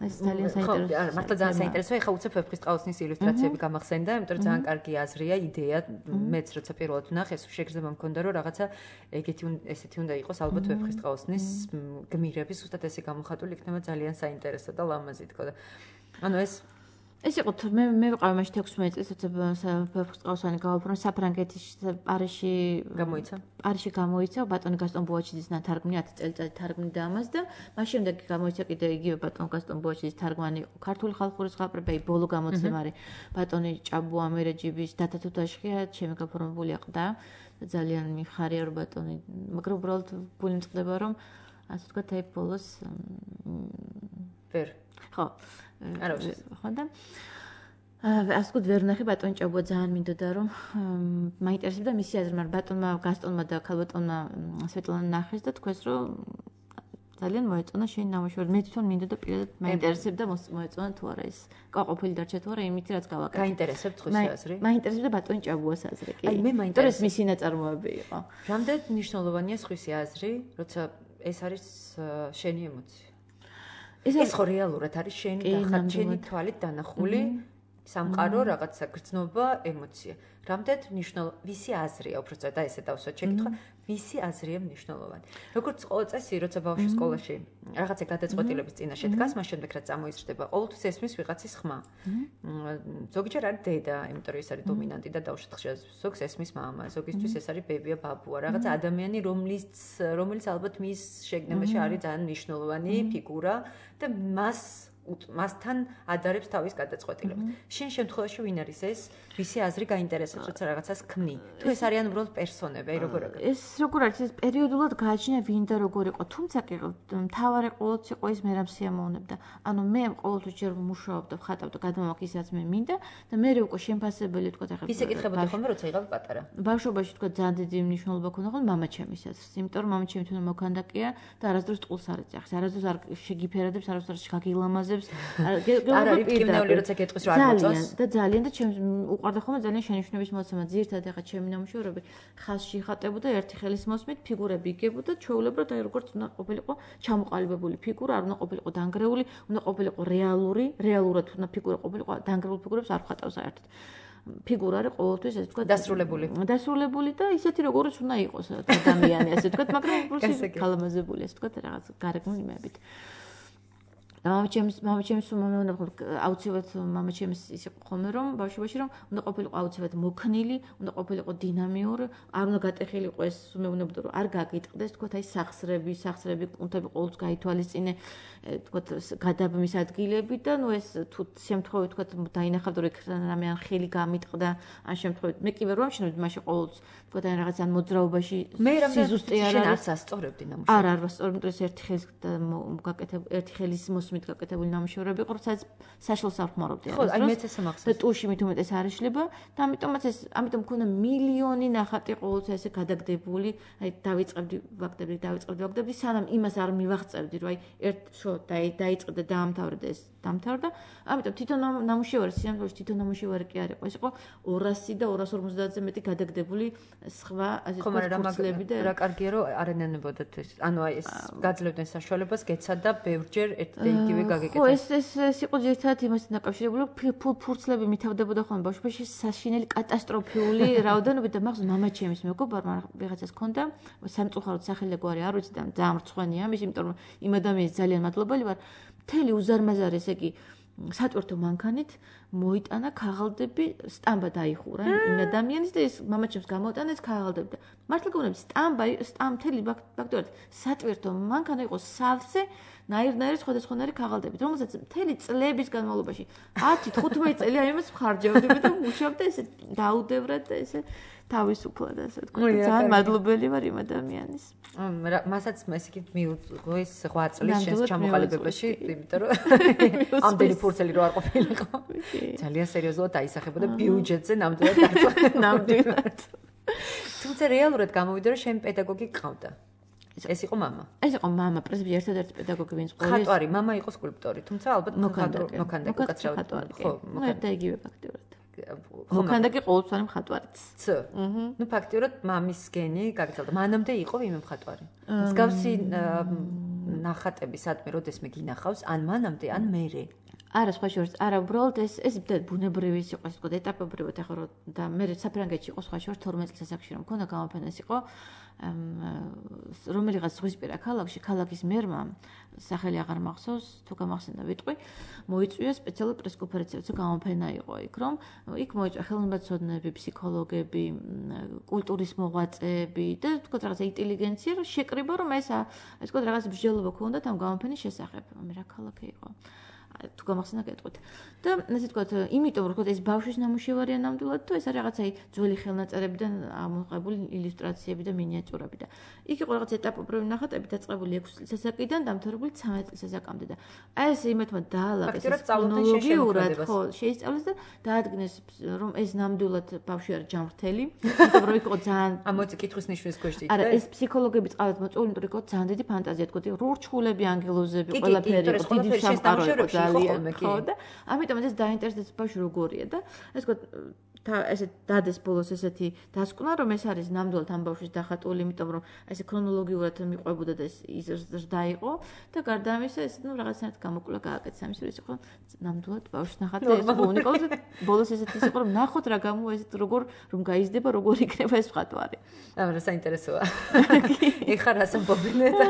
ეს ძალიან საინტერესოა. არა, მართლა ძალიან საინტერესოა. ეხლა უცებ ვეფხის ტყაოსნის ილუსტრაციები გამახსენდა, იმიტომ რომ ძალიან კარგი აზრია, იდეა, მეც როცა პირველად ვნახე, ეს შეგრძნება მქონდა, რომ რაღაცა ეგეთი ესეთი უნდა იყოს ალბათ ვეფხის ტყაოსნის გმირები, ზუსტად ესე გამოხატული იქნება ძალიან საინტერესო და ლამაზი თქო და ანუ ეს ეს იყო მე მე ვიყავი მაშინ ექვსმეტი წლის როცა ვეფხის ტყაოსანი გავაფრთხილე საფრანგეთის პარიზში გამოიცა. პარიზში გამოიცა ბატონი გასტონ ბუაჩიძის ნათარგმნი ათი წელიწადი თარგმნიდა ამას და მას შემდეგ გამოიცა კიდე იგივე ბატონ გასტონ ბუაჩიძის თარგმანი ქართული ხალხური ზღაპრები ბოლო გამოცემა არის ბატონი ჭაბუ ამერეჯიბის დათა თუთაშხია ჩემი გაფორმებული ყდა და ძალიან მიხარია რომ ბატონი მაგრამ უბრალოდ გული მწყდება რომ ასე ვთქვათ აი ბოლოს ვერ ხო არა ხო და ასე ვთქვათ ვერ ნახე ბატონ ჭაბუა ძალიან მინდოდა რომ მაინტერესებდა მისი აზრი მაგრამ ბატონმა გასტონმა და ქალბატონმა სვეტლანა ნახეს და თქვეს რომ ძალიან მოეწონა შენი ნამუშევარი მე თვითონ მინდოდა პირადად მაინტერესებდა მოეწონა თუ არა ეს გაყოფილი დარჩა თუ არა იმით რაც გავაკეთე გაინტერესებთ ხვის აზრი მაინტერესებდა ბატონ ჭაბუას აზრი კი აი მე მაინტერესებს ეს მისი ნაწარმოები იყო რამდენ მნიშვნელოვანია ხვის აზრი როცა ეს არის შენი ემოცია ეს ხო რეალურად არის შენი დახარჯენი თვალით დანახული სამყარო რაღაცა გრძნობა ემოცია რამდენ მნიშვნელოვანი ვისი აზრია უბრალოდ და ესე დავსვათ შეკითხვა ვისი აზრია მნიშვნელოვანი როგორც ყოველ წესი როცა ბავშვი სკოლაში რაღაცა გადაწყვეტილების წინაშე დგას მას შემდეგ რაც წამოიზრდება ყოველთვის ესმის ვიღაცის ხმა ზოგჯერ არის დედა იმიტომ რომ ეს არის დომინანტი და დავშოთ ხშირად ზოგს ესმის მამა ზოგისთვის ეს არის ბებია ბაბუა რაღაცა ადამიანი რომლის რომელიც ალბათ მის შეგნებაში არის ძალიან მნიშვნელოვანი ფიგურა და მას მასთან ადარებს თავის გადაწყვეტილებას. შენ შემთხვევაში ვინ არის ეს, ვისი აზრი გაინტერესებს, როცა რაღაცას ქმნი? თუ ეს არიან უბრალოდ პერსონები, აი როგორ არის? ეს როგორ არის, ეს პერიოდულად გააჩნია ვინ და როგორ იყო. თუმცა კი მთავარი ყოველთვის იყო ის მე რამ სიამოვნებდა. ანუ მე ყოველთვის ჯერ მუშაობდა, ხატავდა, გადმოვაქ ისაც მე მინდა და მე უკვე შემფასებელი თქვა ახლა. ისე კითხებოდი ხოლმე, როცა იყავი პატარა. ბავშვობაში თქვა ძალიან დიდი მნიშვნელობა ქონდა ხოლმე მამაჩემის აზრს. იმიტომ რომ მამაჩემი თვითონ მოქანდაკეა და არასდროს ტყულს არ ეძახს. არასდროს არ შეგიფერადებს, არასდროს შეგაგილამაზებს. არ არის პკივნეული როცა გეტყვის რომ არ მოწონს და ძალიან და ჩემს უყვარდა ხოლმე ძალიან შენიშვნების მოცემა ძირთად ახლა ჩემი ნამუშევრები ხაზში ხატებოდა ერთი ხელის მოსმით ფიგურები იგებოდა ჩვეულებრივად აი როგორც უნდა ყოფილიყო ჩამოყალიბებული ფიგურა არ უნდა ყოფილიყო დანგრეული უნდა ყოფილიყო რეალური რეალურად უნდა ფიგურა ყოფილიყო დანგრეულ ფიგურებს არ ხატავს საერთოდ ფიგურა არის ყოველთვის ეს თქვა დასრულებული დასრულებული და ისეთი როგორც უნდა იყოს ადამიანი ასე თქვა მაგრამ უბრალოდ კალამაზებული ასე თქვა რაღაც გარეგნული იმებით მამაჩემს მამაჩემს მომეუნა აუცილებლად მამაჩემს ის იყო ხოლმე რომ ბავშვობაში რომ უნდა ყოფილიყო აუცილებლად მოქნილი, უნდა ყოფილიყო დინამიური, არ უნდა გატეხილიყო ეს უმეუნებოდა რომ არ გაგიტყდეს თქო აი სახსრები, სახსრები კუნთები ყოველთვის გაითვალისწინე თქო გადაბმის ადგილები და ნუ ეს თუ შემთხვევით თქო დაინახავდა რომ რამე ან ხელი გამიტყდა ან შემთხვევით მე კი ვერ ვამჩნევდი მაშინ ყოველთვის თქო აი რაღაც ან მოძრაობაში სიზუსტე არ არის ასწორებდი ნამუშევრს. არ არ ვასწორებდი ეს ერთი ხელის გაკეთებული ერთი ხელის მით გაკეთებული ნამუშევრები იყო, სადაც საშუალს არ ხმარობდი. ხო, აი მეც ესე მახსოვს. და ტუში მით უმეტეს არ იშლება და ამიტომაც ეს ამიტომ მქონდა მილიონი ნახატი ყოველთვის ესე გადაგდებული, აი დავიწყებდი ვაქტებდი, დავიწყებდი ვაქტებდი, სანამ იმას არ მივაღწევდი, რომ აი ერთ შო დაიწყდა და დაამთავრდა ეს დამთავრდა. ამიტომ თვითონ ნამუშევარი, სიამოვნებაში თვითონ ნამუშევარი კი არ იყო, ეს იყო ორასი და ორას ორმოცდაათზე მეტი გადაგდებული სხვა ასე ფურცლები და რა კარგია რომ არ ენანებოდათ ეს. ანუ აი ეს გაძლევდნენ საშუალებას, გეცადა ბევრჯერ ერთ და იგივე გაგეკეთა. ხო, ეს ეს ეს იყო ძირითადად იმასთან დაკავშირებული, ფურცლები მითავდებოდა ხოლმე ბავშვობაში საშინელი კატასტროფიული რაოდენობით და მახსოვს მამაჩემის მეგობარმა ვიღაცას ჰქონდა სამწუხაროდ სახელიგვარი არ ვიცი და ძალიან მრცხვენია ამის, იმიტომ რომ იმ ადამიანის ძალიან მადლობელი ვარ. მთელი უზარმაზარი ესე იგი სატვირთო მანქანით მოიტანა ქაღალდები სტამბა დაიხურა იმ ადამიანის და ეს მამაჩემს გამოტანა ეს ქაღალდები და მართლა გონებს სტამბა სტამბთელი ფაქტორად სატვირთო მანქანა იყო სავსე ნაირ-ნაირი სხვადასხვანაირი ქაღალდებით რომელსაც მთელი წლების განმავლობაში ათი თხუთმეტი წელი აი იმას ხარჯავდები და მუშავდა ესე დაუდევრად და ესე თავისუფლად ასე თქვა ძალიან მადლობელი ვარ იმ ადამიანის მასაც ესე იგი მიუღო ეს ღვაწ წლის შენს ჩამოყალიბებაში იმიტომ რომ ამდენი ფურცელი რო არ ყოფილიყო ძალიან სერიოზულად დაისახებოდა ბიუჯეტზე ნამდვილად დაწვა ნამდვილად თუმცა რეალურად გამოვიდა რომ შენ პედაგოგი ყავდა ეს იყო მამა ეს იყო მამა პრინციპში ერთადერთი პედაგოგი ვინც ყოლის ხატვარი მამა იყო სკულპტორი თუმცა ალბათ მოქანდაკე მოქანდაკე უკაცრავად ხო მოქანდაკე იგივე ფაქტიურად მოქანდაკე ყოველწლიანი მხატვარიც. ც. ნუ ფაქტიურად მამის გენი გაგიცავდა. მანამდე იყო ვინმე მხატვარი. მსგავსი ნახატები სადმე როდესმე გინახავს, ან მანამდე, ან მერე. არა, სხვა შორის, არა, უბრალოდ ეს ეს ბუნებრივი იყო, ეს თქო, ეტაპობრივად ახლა რომ და მე საფრანგეთში იყო სხვა შორის თორმეტ წელს ასაკში რომ მქონდა გამოფენა ეს იყო რომელიღაც ზღვისპირა ქალაქში, ქალაქის მერმა სახელი აღარ მახსოვს, თუ გამახსენდა ვიტყვი, მოიწვია სპეციალური პრესკონფერენცია, როცა გამოფენა იყო იქ, რომ იქ მოიწვია ხელოვნებაცოდნეები, ფსიქოლოგები, კულტურის მოღვაწეები და თქო რაღაცა ინტელიგენცია, რომ შეკრიბა რომ ეს ეს თქო რაღაც მსჯელობა ქონდათ ამ გამოფენის შესახებ, მე რა ქალაქი იყო. თუ გამახსენდა გეტყვით. და ასე თქვათ, იმიტომ რომ ეს ბავშვის ნამუშევარია ნამდვილად, თუ ეს არის რაღაცა ძველი ხელნაწერებიდან ამოღებული ილუსტრაციები და მინიატიურები და იქ იყო რაღაც ეტაპობრივი ნახატები დაწყებული ექვსი წლის ასაკიდან დამთავრებული ცამეტ წლის ასაკამდე და აი ეს იმეთმა დაალაგეს ქრონოლოგიურად ხო შეისწავლეს და დაადგინეს რომ ეს ნამდვილად ბავშვი არის ჯანმრთელი, იმიტომ რომ იქ იყო ძალიან ამოწი კითხვის ნიშნის ქვეშ იყო. არა, ეს ფსიქოლოგები წყავად მოწვეული, იმიტომ რომ იქ იყო ძალიან დიდი ფანტაზია, თქო, რურჩხულები, ანგელოზები, ყველაფერი იყო, დიდი სამყარო იყო ძალიან ხო და ამიტომ ეს დაინტერესდეს ბავშვი როგორია და ეს თქო და ესე დადეს ბოლოს ესეთი დასკვნა რომ ეს არის ნამდვილად ამ ბავშვის დახატული, იმიტომ რომ ესე ქრონოლოგიურად მიყვებოდა და ეს ზრდა იყო და გარდა ამისა ეს ნუ რაღაცნაირად გამოკვლევა გააკეთა ამის რომ ეს იყო ნამდვილად ბავშვის ნახატი და ეს იყო უნიკალური და ბოლოს ესეთი იყო რომ ნახოთ რა გამო ეს როგორ რომ გაიზრდება როგორ იქნება ეს მხატვარი. აა რა საინტერესოა. ეხლა რას ამბობენ და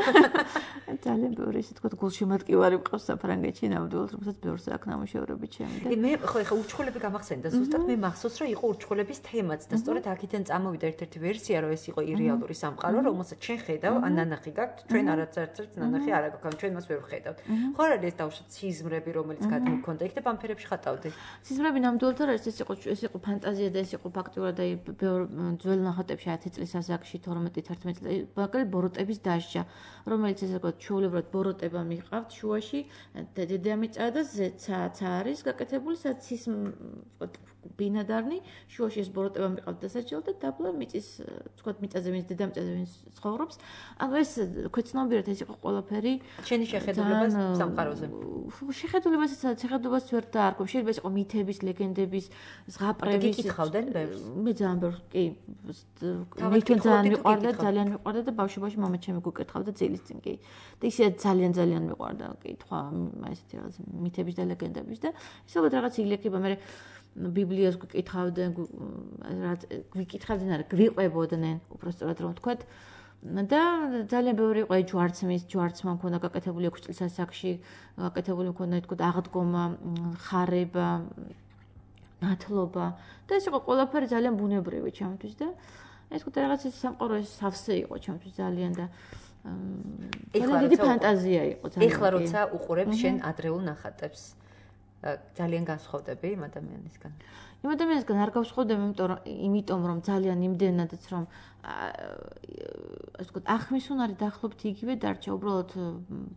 ძალიან ბევრი ისე თქო გულშემატკივარი მყავს საფრანგეთში ნამდვილად რომელსაც ბევრს აქვს ნამუშევრები ჩემი და მე ხო ეხლა უჩხულები გამახსენდა ზუსტად მე მახსოვს რომ იყო ურჩხულების თემაც და სწორედ აქედან წამოვიდა ერთ-ერთი ვერსია, რომ ეს იყო ირეალური სამყარო, რომელსაც ჩვენ ხედავ, ან ნანახი გაქვთ, ჩვენ არაცერც ნანახი არ აქვს, ჩვენ მას ვერ ვხედავთ. ხო არ არის ეს დავუშვათ სიზმრები, რომელიც გადმოქონდა იქ და ბამფერებში ხატავდი. სიზმრები ნამდვილად არ არის, ეს იყო ეს იყო ფანტაზია და ეს იყო ფაქტიურად აი ძველ ნახატებში ათი წლის ასაკში თორმეტი თერთმეტი წელი მაგალითად ბოროტების დასჯა, რომელიც ესე ვთქვათ, ჩვეულებრივად ბოროტება მიყავთ შუაში, დედამიწა და ზეცაც არის გაკეთებული, სადაც ის ვთქვათ ბინადარნი შუაში ეს ბოროტება მიყავთ დასაჯელად და დაბლა მიწის ვთქვათ მიწაზე ვინც დედამიწაზე ვინც ცხოვრობს. ანუ ეს ქვეცნობიერად ეს იყო ყველაფერი შენი შეხედულება სამყაროზე. შეხედულებას შეხედულებას ვერ დაარქვევ. შეიძლება ეს იყო მითების, ლეგენდების, ზღაპრების. გიკითხავდნენ ბევრს? მე ძალიან ბევრს კი მე თვითონ ძალიან მიყვარდა, ძალიან მიყვარდა და ბავშვობაში მამა ჩემი გუკითხავდა ძილის წინ კი. და ისე ძალიან ძალიან მიყვარდა კითხვა ესეთი რაღაც მითების და ლეგენდების და ისე რაღაც ილექება მე ბიბლიას გიკითხავდნენ, რაც გიკითხავდნენ, არა, გვიყვებოდნენ, უბრალოდ რომ ვთქვათ. და ძალიან ბევრი იყო ჯვარცმის, ჯვარცმა მქონდა გაკეთებული ექვსი წლის ასაკში, გაკეთებული მქონდა თქო აღდგომა, ხარება, ნათლობა და ეს იყო ყველაფერი ძალიან ბუნებრივი ჩემთვის და ეს თქო რაღაც ის სამყარო ეს სავსე იყო ჩემთვის ძალიან და ეხლა დიდი ფანტაზია იყო ძალიან. ეხლა როცა უყურებ შენ ადრეულ ნახატებს ძალიან განსხვავდები იმ ადამიანისგან. იმ ადამიანისგან არ გავსხვავდები, იმიტომ რომ იმიტომ რომ ძალიან იმდენადაც რომ ასე ვთქვათ, ახმისუნარი დაახლოებით იგივე დარჩა, უბრალოდ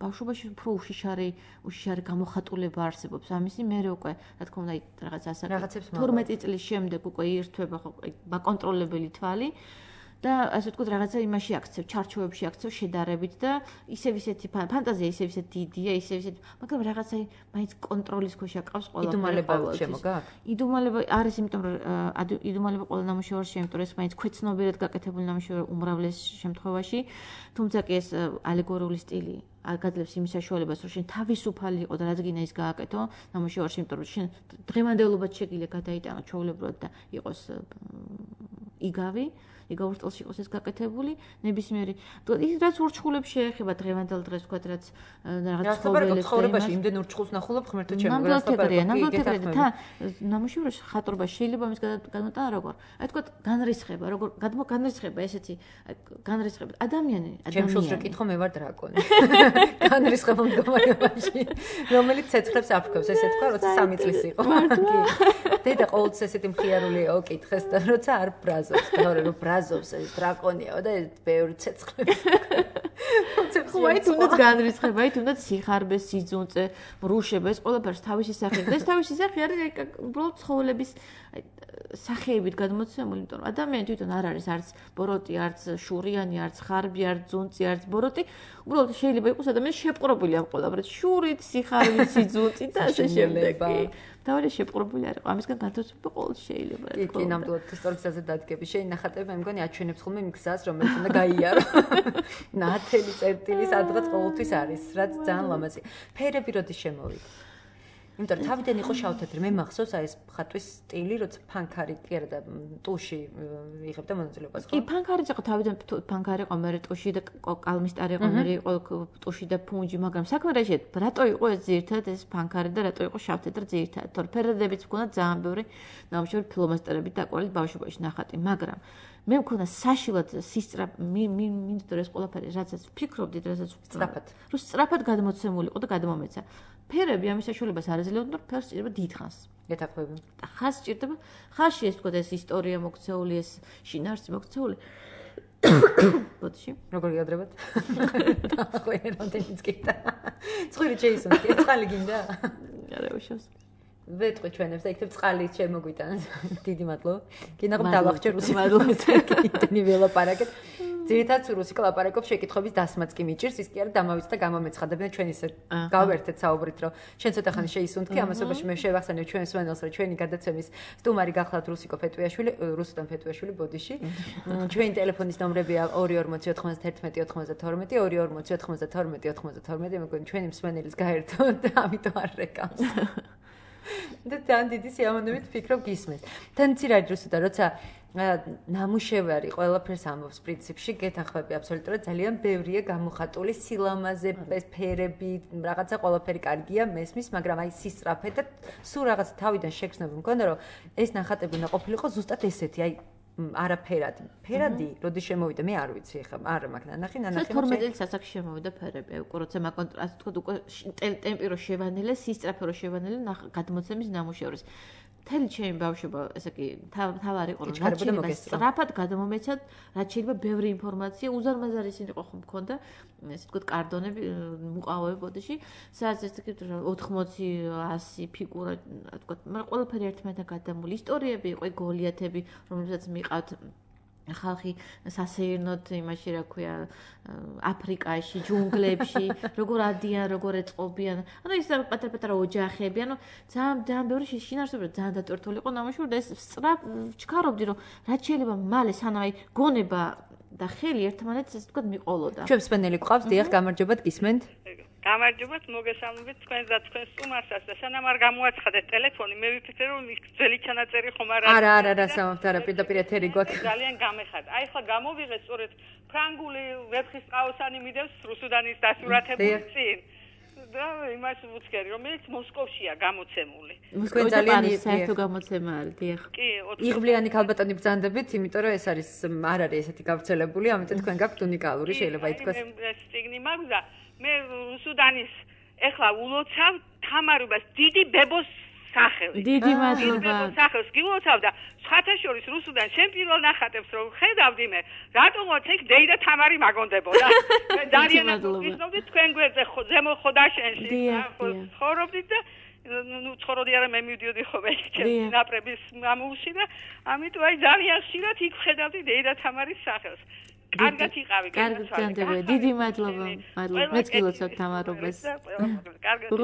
ბავშვობაში უფრო უშიშარი, უშიშარი გამოხატულება არსებობს. ამისი მერე უკვე, რა თქმა უნდა, რაღაც ასაკი თორმეტი წლის შემდეგ უკვე ირთვება ხო ბაკონტროლებელი თვალი. და ასე ვთქვათ, რაღაცა იმაში აქცევ, ჩარჩოებში აქცევ შედარებით და ისევ ისეთი ფანტაზია, ისევ ისეთი დიდია, ისევ ისეთი, მაგრამ რაღაცა მაინც კონტროლის ქვეშ აკავს ყველაფერი. იდუმალება შემოგაქვს? იდუმალება არის, იმიტომ რომ იდუმალება ყველა ნამუშევარში, იმიტომ რომ ეს მაინც ქვეცნობიერად გაკეთებული ნამუშევარი უმრავლეს შემთხვევაში, თუმცა კი ეს ალეგორიული სტილი გაძლევს იმის საშუალებას, რომ შენ თავისუფალი იყო და რაც გინდა ის გააკეთო ნამუშევარში, იმიტომ რომ შენ დღევანდელობად შეგიძლია გადაიტანო ჩვეულებრივად და იყოს იგავი. იგავურ სტილში იყოს ეს გაკეთებული, ნებისმიერი. ის რაც ურჩხულებს შეეხება დღევანდელ დღეს ვთქვათ, რაც რაღაც ცხოვრებაში იმდენ ურჩხულს ნახულობ ღმერთო ჩემო, გასაფერია, ნამდვილად და ნამუშევარში ხატრობა შეიძლება მის გადმოტანა როგორ? აი ვთქვათ, განრისხება, როგორ განრისხება ესეთი განრისხება ადამიანი, ადამიანი. ჩემ შულს რო კითხო მე ვარ დრაკონი. განრისხება მდგომარეობაში, რომელიც ცეცხლებს აფრქვევს, ესე თქვა, როცა სამი წლის იყო. დედა ყოველთვის ესეთი მხიარული ოკითხეს და როცა არ ბრაზობს, და რომ ბრაზობს ეს დრაკონიაო და ბევრი ცეცხლები. ხუაი თუნდაც განრისხება, აი თუნდაც სიხარბე, სიძუნწე, ბრუშება, ეს ყველაფერს თავისი სახე. და ეს თავისი სახე არის აი უბრალოდ ცხოველების სახეებით გადმოცემული, იმიტომ რომ ადამიანი თვითონ არ არის არც ბოროტი, არც შურიანი, არც ხარბი, არც ძუნწი, არც ბოროტი. უბრალოდ შეიძლება იყოს ადამიანი შეპყრობილი ამ ყველაფერით, შურით, სიხარით, სიძუნწით და ასე შემდეგ. თავი შეპყრობილი არ იყო. ამისგან განთავსება ყოველთვის შეიძლება. კი, კი, ნამდვილად სწორ გზაზე დადგები. შენი ნახატები მე მგონი აჩვენებს ხოლმე იმ გზას, რომელიც უნდა გაიარო. ნათელი წერტილი სადღაც ყოველთვის არის, რაც ძალიან ლამაზია. ფერები როდის შემოვიდა? იმიტომ რომ თავიდან იყო შავთეთრი, მე მახსოვს აი ეს ხატვის სტილი, როცა ფანქარი კი არა და ტუში იღებდა მონაწილეობას, ხო? კი, ფანქარიც იყო თავიდან ფანქარი იყო, მე ტუში და კალმისტარი იყო, მე იყო ტუში და ფუნჯი, მაგრამ საქმე რა შეიძლება, რატო იყო ეს ძირითადად ეს ფანქარი და რატო იყო შავთეთრი ძირითადად? თორე ფერადებიც მქონდა ძალიან ბევრი ნამუშევარი ფლომასტერებით დაყვანილი ბავშვობაში ნახატი, მაგრამ მე მქონდა საშილად სისწრაფ მინდოდა ეს ყველაფერი, რაცაც ვფიქრობდი, რასაც სწრაფად. რომ სწრაფად გადმოცემული იყო და გადმომეცა. ფერები ამის საშუალებას არ ეძლეოდა, რომ ფერს ჭირდება დიდხანს. ეთაყვები. და ხანს ჭირდება, ხანში ეს თქო ეს ისტორია მოქცეული, ეს შინაარსი მოქცეული. ბოდიში, როგორ გიადრებათ? ხო, რამდენიც გინდა. წვირი ჩეისონ, წყალი გინდა? არა, უშავს. ვეტყვი ჩვენებს და იქნებ წყალი შემოგვიტანს. დიდი მადლობა. გინდა რომ დავახჭერ რუსი მადლობა. კიდენი ველაპარაკეთ. ძირითადად რუსი კლაპარაკობს შეკითხების დასმაც კი მიჭირს, ის კი არა დამავიწყდა გამომეცხადებიან ჩვენ ისე გავერთეთ საუბრით, რომ ჩვენ ცოტა ხანი შეისუნთქი ამასობაში მე შევახსენებ ჩვენს ვენელს, რომ ჩვენი გადაცემის სტუმარი გახლავთ რუსიკო ფეტვიაშვილი, რუსუდან ფეტვიაშვილი ბოდიში. ჩვენი ტელეფონის ნომრებია ორი ორმოცი ოთხმოცდაერთმეტი ოთხმოცდათორმეტი, ორი ორმოცი ოთხმოცდათორმეტი ოთხმოცდათორმეტი, მე მგონი ჩვენი მსმენელის გაერთო და ამიტომ არ რეკავს. და თან დიდი სიამოვნებით ფიქრობ გისმენთ. თან ცირად რუსუდან, როცა ნამუშევარი ყველაფერს ამბობს პრინციპში, გეთანხმები აბსოლუტურად ძალიან ბევრია გამოხატული სილამაზე, ფერები, რაღაცა ყველაფერი კარგია, მესმის, მაგრამ აი სისწრაფე და სულ რაღაც თავიდან შეგრძნები მქონდა, რომ ეს ნახატები უნდა ყოფილიყო ზუსტად ესეთი, აი არაფერადი. ფერადი, როდის შემოვიდა, მე არ ვიცი ხა, არ მაქვს ნანახი, ნანახი. თორმეტ წელს ასაკში შემოვიდა ფერები, უკვე როცა მაგონტრასტ თქვა უკვე ტემპი რო შევანელე, სისწრაფე რო შევანელე გადმოცემის ნამუშევრის. მთელი ჩემი ბავშვობა, ესე იგი, თავარი იყო, რაც შეიძლება სწრაფად გადამომეცად, რაც შეიძლება ბევრი ინფორმაცია, უზარმაზარი იყო ხომ მქონდა, ესე ვთქვათ, კარდონები მუყავები ბოდიში, სადაც ესე იგი ოთხმოცი ასი ფიგურა, ვთქვათ, მაგრამ ყველაფერი ერთმანეთთან გადამული ისტორიები იყო, გოლიათები, რომლებსაც მიყავთ ხალხი სასეირნოდ იმაში რა ქვია აფრიკაში, ჯუნგლებში, როგორ ადიან, როგორ ეწყობიან. ანუ ის პატარ-პატარა ოჯახები, ანუ ძალიან ძალიან ბევრი შინაარსობრივად ძალიან დატვირთული იყო ნამუშევარი და ეს სწრაფ ვჩქარობდი, რომ რაც შეიძლება მალე სანამ აი გონება და ხელი ერთმანეთს ესე ვთქვათ მიყოლოდა. ჩვენ სპენელი გვყავს, დიახ, გამარჯობათ, გისმენთ? გამარჯობათ, მოგესალმებით თქვენს და თქვენს სტუმარსაც და სანამ არ გამოაცხადეთ ტელეფონი, მე ვიფიქრე რომ ძველი ჩანაწერი ხომ არ არის. არა, არა, არა, სამთ არა, პირდაპირ ეთერი გვაქვს. ძალიან გამეხატა. აი ხლა გამოვიღე სწორედ ფრანგული ვეფხისტყაოსანი მიდევს რუსუდანის დასურათებული წინ. და იმას ვუცქერი, რომელიც მოსკოვშია გამოცემული. მოსკოვი ძალიან საერთო გამოცემა არის, დიახ. კი, იღბლიანი ქალბატონი ბრძანდებით, იმიტომ რომ ეს არის არ არის ესეთი გავრცელებული, ამიტომ თქვენ გაქვთ უნიკალური, შეიძლება ითქვას. ეს წიგნი მაქვს და მე რუსუდანის ეხლა ულოცავ თამარობას დიდი ბებოს სახელს. დიდი მადლობა. სახელს გილოცავ და სხვათა შორის რუსუდან შენ პირველ ნახატებს რომ ხედავდი მე, რატომღაც ეგ დეი და თამარი მაგონდებოდა. მე ძალიან ვისნობდი თქვენ გვერდზე ზემო ხოდაშენში ცხოვრობდით და ნუ ცხოვრობდი არა მე მივდიოდი ხოლმე ჩემი ნაპრების მამულში და ამიტომ აი ძალიან ხშირად იქ ხედავდი დეი და თამარის სახელს. კარგად იყავი, კარგად. დიდი მადლობა. მადლობა. მეც გილოცავ თამარობას.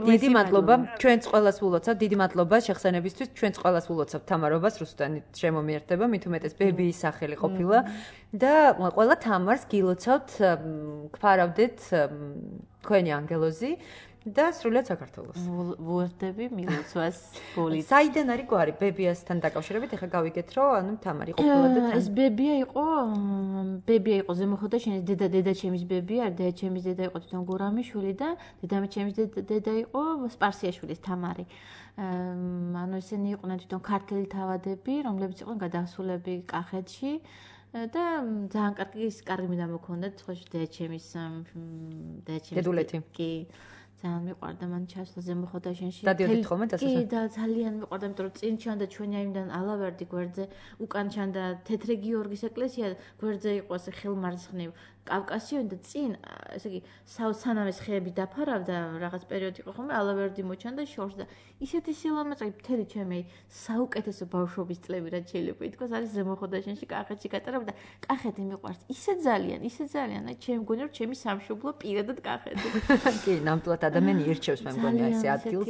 დიდი მადლობა. ჩვენც ყველას ვულოცავ. დიდი მადლობა შეხსენებისთვის. ჩვენც ყველას ვულოცავ თამარობას. რუსუდანი შემომიერთება, მით უმეტეს ბებიის სახელი ყოფილა და ყველა თამარს გილოცავთ, გვფარავდეთ თქვენი ანგელოზი. და სრულიად საქართველოს. ვუერთდები მილოცვას ბოლით. საიდან არის გვარი ბებიასთან დაკავშირებით? ეხლა გავიგეთ, რომ ანუ თამარი ყოფილა და ეს ბებია იყო, ბებია იყო ზემო ხოდაშენის დედა, დედაჩემის ბებია, დედაჩემის დედა იყო თვითონ გურამიშვილი და დედამჩემის დედა იყო სპარსიაშვილის თამარი. ანუ ესენი იყვნენ თვითონ ქართელი თავადები, რომლებიც იყვნენ გადასულები კახეთში. და ძალიან კარგი კარგი მიდამო ქონდათ, ხო დედაჩემის დედაჩემის დედულეთი. კი. ძალიან მიყვარდა მან ჩასვლა ზემო ხოდაშენში. დადიოდით ხოლმე დასასვენ? კი და ძალიან მიყვარდა, იმიტომ რომ წინ ჩანდა ჩვენი აიმიდან ალავერდი გვერდზე, უკან ჩანდა თეთრი გიორგის ეკლესია, გვერდზე იყო ასე ხელმარცხნივ კავკასიონი და წინ, ესე იგი, სანამ ეს ხეები დაფარავდა, რაღაც პერიოდი იყო ხოლმე, ალავერდი მოჩანდა შორს და ისეთი სილამაზე მთელი ჩემი საუკეთესო ბავშვობის წლები რაც შეიძლება ითქვას, არის ზემო ხოდაშენში კახეთში გატარებდა და კახეთი მიყვარს. ისე ძალიან, ისე ძალიან, აი ჩემი მგონი რომ ჩემი სამშობლო პირადად კახეთი. კი, ნამდვილად ადამიანი ირჩევს მე მგონი ეს ადგილს.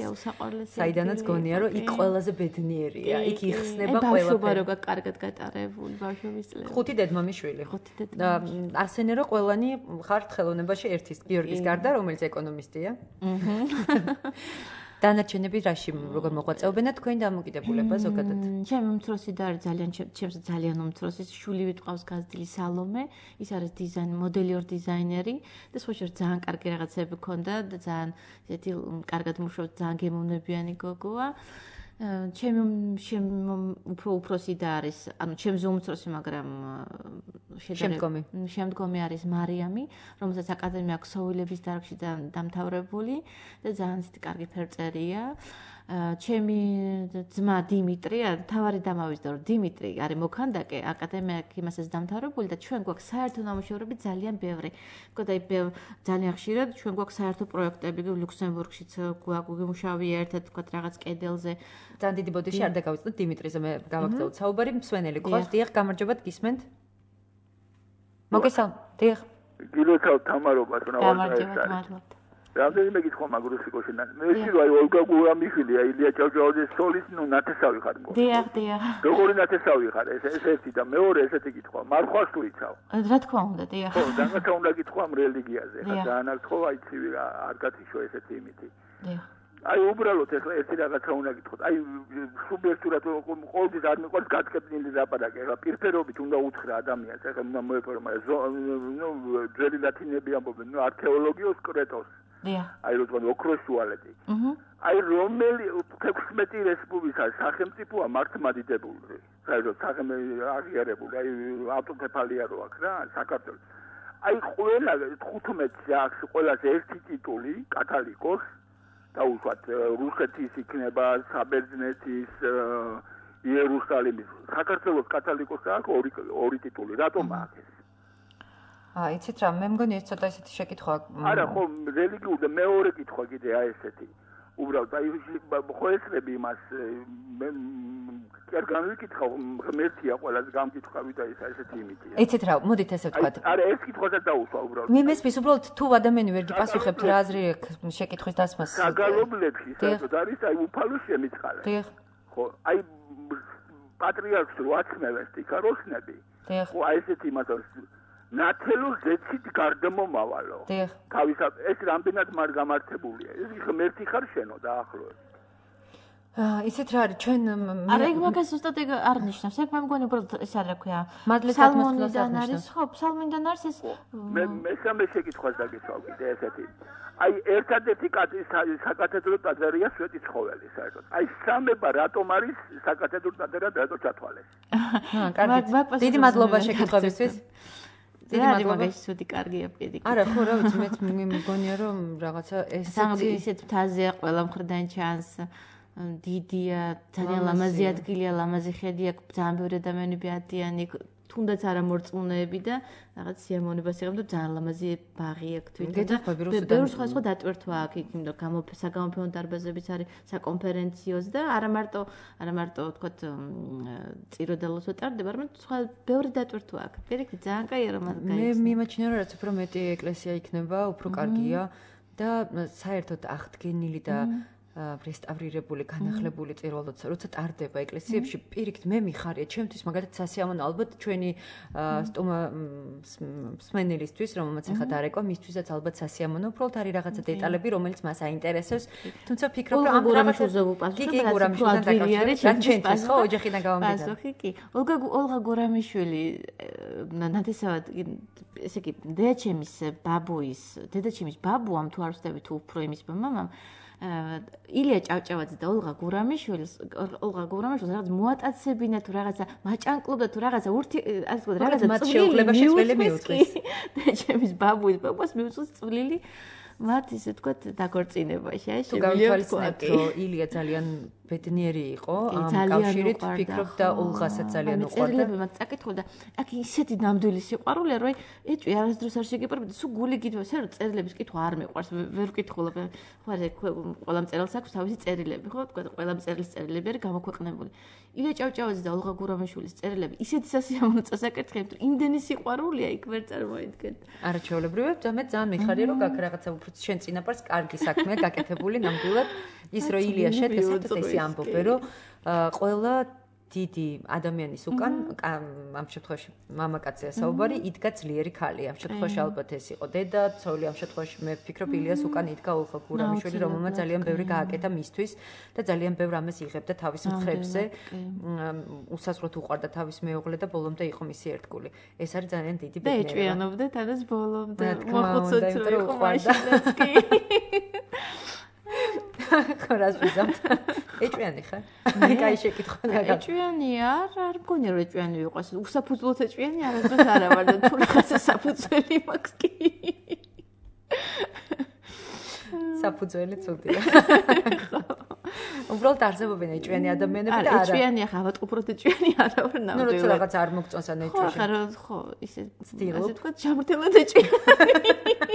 საიდანაც გონია რომ იქ ყველაზე ბედნიერია, იქ იხსნება ყველაფერი. ბავშვობა როგორ კარგად გატარებული ბავშვობის წლები. ხუთი დედმამიშვილი. ხუთი დედმამიშვილი. და არსენე რომ ყველანი ხართ ხელოვნებაში ერთის გიორგის გარდა, რომელიც ეკონომისტია. აჰა. დანარჩენები რაში როგორ მოღვაწეობენ და თქვენი დამოკიდებულება ზოგადად? ჩემი უმცროსი და არის ძალიან ჩემს ძალიან უმცროსი შვილი ვიტყავს გაზრდილი სალომე, ის არის დიზაინ მოდელიორ დიზაინერი და სხვაშორ ძალიან კარგი რაღაცები ქონდა და ძალიან ესეთი კარგად მუშაობს, ძალიან გემოვნებიანი გოგოა. ჩემი უფრო უფროსი და არის, ანუ ჩემზე უმცროსი, მაგრამ შემდგომი. შემდგომი არის მარიამი, რომელსაც აკადემია ქსოვილების დარგში დამთავრებული და ძალიან ისეთი კარგი ფერწერია. ჩემი ძმა დიმიტრი, თავარი დამავიწყდა, რომ დიმიტრი არის მოქანდაკე, აკადემია იმასაც დამთავრებული და ჩვენ გვაქვს საერთო ნამუშევრები ძალიან ბევრი. მგონი აი ძალიან ხშირად ჩვენ გვაქვს საერთო პროექტები, ლუქსემბურგშიც გვიმუშავე ერთად, თქვა რაღაც კედელზე. ძალიან დიდი ბოდიში არ დაგავიწყდეთ დიმიტრიზე, მე გავაგზავნოთ საუბარი, მსვენელი ყავს, დიახ, გამარჯობათ, გისმენთ? მოგესალმებით, დიახ. გილოცავ თამარობას, გამარჯობათ, მადლობთ. რამდენიმე გითხვა მაგრუსიკოში. მე ვშირო აი ოლგა გურამიშვილი, აი ილია ჭავჭავაძის სოლის, ნუ ნათესავი ხარ მგონი. დიახ, დიახ. როგორი ნათესავი ხარ? ეს ეს ერთი და მეორე ესეთი გითხვა. მარხვას თუ იცავ? რა თქმა უნდა, დიახ. ხო, რაღაცა უნდა გითხვა რელიგიაზე. ხა ძალიან არ თქო, აი ცივი არ გათიშო ესეთი იმითი. დიახ. აი უბრალოდ ეხლა ერთი რაღაცა უნდა გითხოთ. აი სუბიექტურად ყოველთვის არ მიყვარს გაწკეპნილი ლაპარაკი. ეხლა პირფერობით უნდა უთხრა ადამიანს, ეხლა უნდა მოეფორმა ნუ ძველი ლათინები ამბობენ, ნუ არქეოლოგიოს კრეტოს. დიახ. აი რო თქვენ ოქროს შუალედი. აჰა. აი რომელი თექვსმეტი რესპუბლიკა სახელმწიფოა მართლმადიდებული. საერთოდ სახელმწიფო აღიარებული, აი ავტოკეფალია რო აქვს რა, საქართველოს. აი ყველა თხუთმეტს აქვს ყველაზე ერთი ტიტული, კათალიკოს და უშვათ რუსეთის იქნება, საბერძნეთის, იერუსალიმის. საქართველოს კათალიკოს აქვს ორი ორი ტიტული. რატომ აქვს ეს? აა, იცით რა, მე მგონი ეს ცოტა ისეთი შეკითხვა. არა, ხო, რელიგიურ და მეორე კითხვა კიდე აი ესეთი. უბრალოდ აი ხო ესწრები იმას მე კი არ განვიკითხავ, ღმერთია ყველას გამკითხავი და ეს ესეთი იმითია. იცით რა, მოდით ესე ვთქვათ. არა, ეს კითხვასაც დაუსვა უბრალოდ. მე მესმის უბრალოდ თუ ადამიანი ვერ გიპასუხებთ რა აზრი აქვს შეკითხვის დასმას. საგალობლებში საერთოდ არის აი უფალოს შემიწყალე. დიახ. ხო, აი პატრიარქს რო აცნევენ სტიქაროსნები. დიახ. ხო, აი ესეთი იმასაც ნათელო ზეცით გარდამომავალო. დიახ. თავისად ეს რამდენად მარ გამართებულია. ეს ღმერთი ხარ შენო დაახლოებით. აა, ისეთ რა არის ჩვენ არა ეგ მაგას ზუსტად ეგ არ ნიშნავს. ეგ მე მგონი უბრალოდ ეს არ რა ქვია. მადლით სალმონიდან არის, ხო, სალმონიდან არის ეს. მე მესამე შეკითხვას დაგესვავ კიდე ესეთი. აი ერთადერთი საკათედრო ტაძარია სვეტიცხოველი საერთოდ. აი სამება რატომ არის საკათედრო ტაძარი და რატო ჩათვალეს? აა, კარგი. დიდი მადლობა შეკითხვებისთვის. დიდი მადლობა ისეთი კარგია პედიკი. არა, ხო, რა ვიცი, მეც მგონია რომ რაღაცა ესეთი ისეთ ფთაზეა ყველა მხრიდან ჩანს. დიდია, ძალიან ლამაზი ადგილია, ლამაზი ხედი აქვს, ძალიან ბევრი ადამიანები ადიანი, თუნდაც არა მორწმუნეები და რაღაც სიამოვნებას იღებენ და ძალიან ლამაზი ბაღი აქვს თვითონ და ბევრი სხვა სხვა დატვირთვა აქვს იქ, იმიტომ რომ საგამოფენო დარბაზებიც არის, საკონფერენციოც და არა მარტო არა მარტო ვთქვათ წიროდალოს უტარდება, არამედ სხვა ბევრი დატვირთვა აქვს. პირიქით ძალიან კაია რომ მაგ მე მიმაჩნია რომ რაც უფრო მეტი ეკლესია იქნება, უფრო კარგია და საერთოდ აღდგენილი და რესტავრირებული, განახლებული წირვალოც, როცა ტარდება ეკლესიებში, პირიქით მე მიხარია, ჩემთვის მაგალითად სასიამოვნო, ალბათ ჩვენი სტომა მსმენელისთვის, რომელმაც ახლა დარეკვა, მისთვისაც ალბათ სასიამოვნო, უბრალოდ არის რაღაცა დეტალები, რომელიც მას აინტერესებს, თუმცა ვფიქრობ, რომ ამ გურამიშვილზე ვუპასუხებ, კი, გურამიშვილთან დაკავშირებით, რაც ჩვენთვის ხო, ოჯახიდან გავამბიდან. პასუხი კი. ოლგა ოლღა გურამიშვილი ნათესავად ესე იგი, დედაჩემის ბაბუის, დედაჩემის ბაბუამ თუ არ ვსწრები თუ უფრო იმის მამამ ილია ჭავჭავაძე და ოლღა გურამიშვილს ოლღა გურამიშვილს რაღაც მოატაცებინა თუ რაღაცა მაჭანკლობდა თუ რაღაცა ურთი ასე ვთქვათ რაღაცა მათ შეუძლება შეცვლილი მიუწვის და ჩემის ბაბუის ბაბუას მიუწვის წვლილი მათ ისე ვთქვათ დაგორწინებაში აი შემიძლია ვთქვათ რომ ილია ძალიან ბედნიერი იყო ამ კავშირით ვფიქრობ და ოლღასაც ძალიან უყვარდა წერილები მათ წაკითხულდა აქ ისეთი ნამდვილი სიყვარულია რომ ეჭვი არასდროს არ შეგიპარებოდა სულ გული გითხრა სერ წერილების კითხვა არ მეყვარს ვერ ვკითხულობ ხო არა ყველა მწერალს აქვს თავისი წერილები ხო ვთქვათ ყველა მწერლის წერილები არის გამოქვეყნებული ილია ჭავჭავაძე და ოლღა გურამიშვილის წერილები ისეთი სასიამოვნო წასაკითხები თუ იმდენი სიყვარულია იქ ვერ წარმოიდგენთ არა ჩვეულებრივად და მე ძალიან მიხარია რომ გაქ რაღაცა უფრო შენ წინაპარს კარგი საქმეა გაკეთებული ნამდვილად ის რო ილია შეთესეთ ესე ამბობენ რომ ყველა დიდი ადამიანის უკან ამ შემთხვევაში მამაკაცია საუბარი იდგა ძლიერი ქალი ამ შემთხვევაში ალბათ ეს იყო დედა ცოლი ამ შემთხვევაში მე ვფიქრობ ილიას უკან იდგა ოლღა გურამიშვილი რომელმაც ძალიან ბევრი გააკეთა მისთვის და ძალიან ბევრ ამას იღებდა თავის მხრებზე უსაზღვროდ უყვარდა თავის მეუღლე და ბოლომდე იყო მისი ერთგული ეს არის ძალიან დიდი ბედნიერება და ეჭვიანობდა თანაც ბოლომდე მოხუცოთ რომ იყო მაშინაც კი ხარას ვიზამთ. ეჭვიანი ხარ? კაი შეკითხვა გაგა. ეჭვიანია, არ არ მგონია რომ ეჭვიანი იყოს. უსაფუძვლოდ ეჭვიანი არასდროს არა ვარ და თუ რაღაცა საფუძველი მაქვს კი. საფუძველი ცუდია. უბრალოდ არსებობენ ეჭვიანი ადამიანები და არა. ეჭვიანია ხა, ავატყუბროთ ეჭვიანი არა ვარ ნამდვილად. ნუ როცა რაღაც არ მოგწონს ან ეჭვიანი. ხო, ხო, ხო, ისე სტილობ. ასე თქვა, ჯამრთელად ეჭვიანი.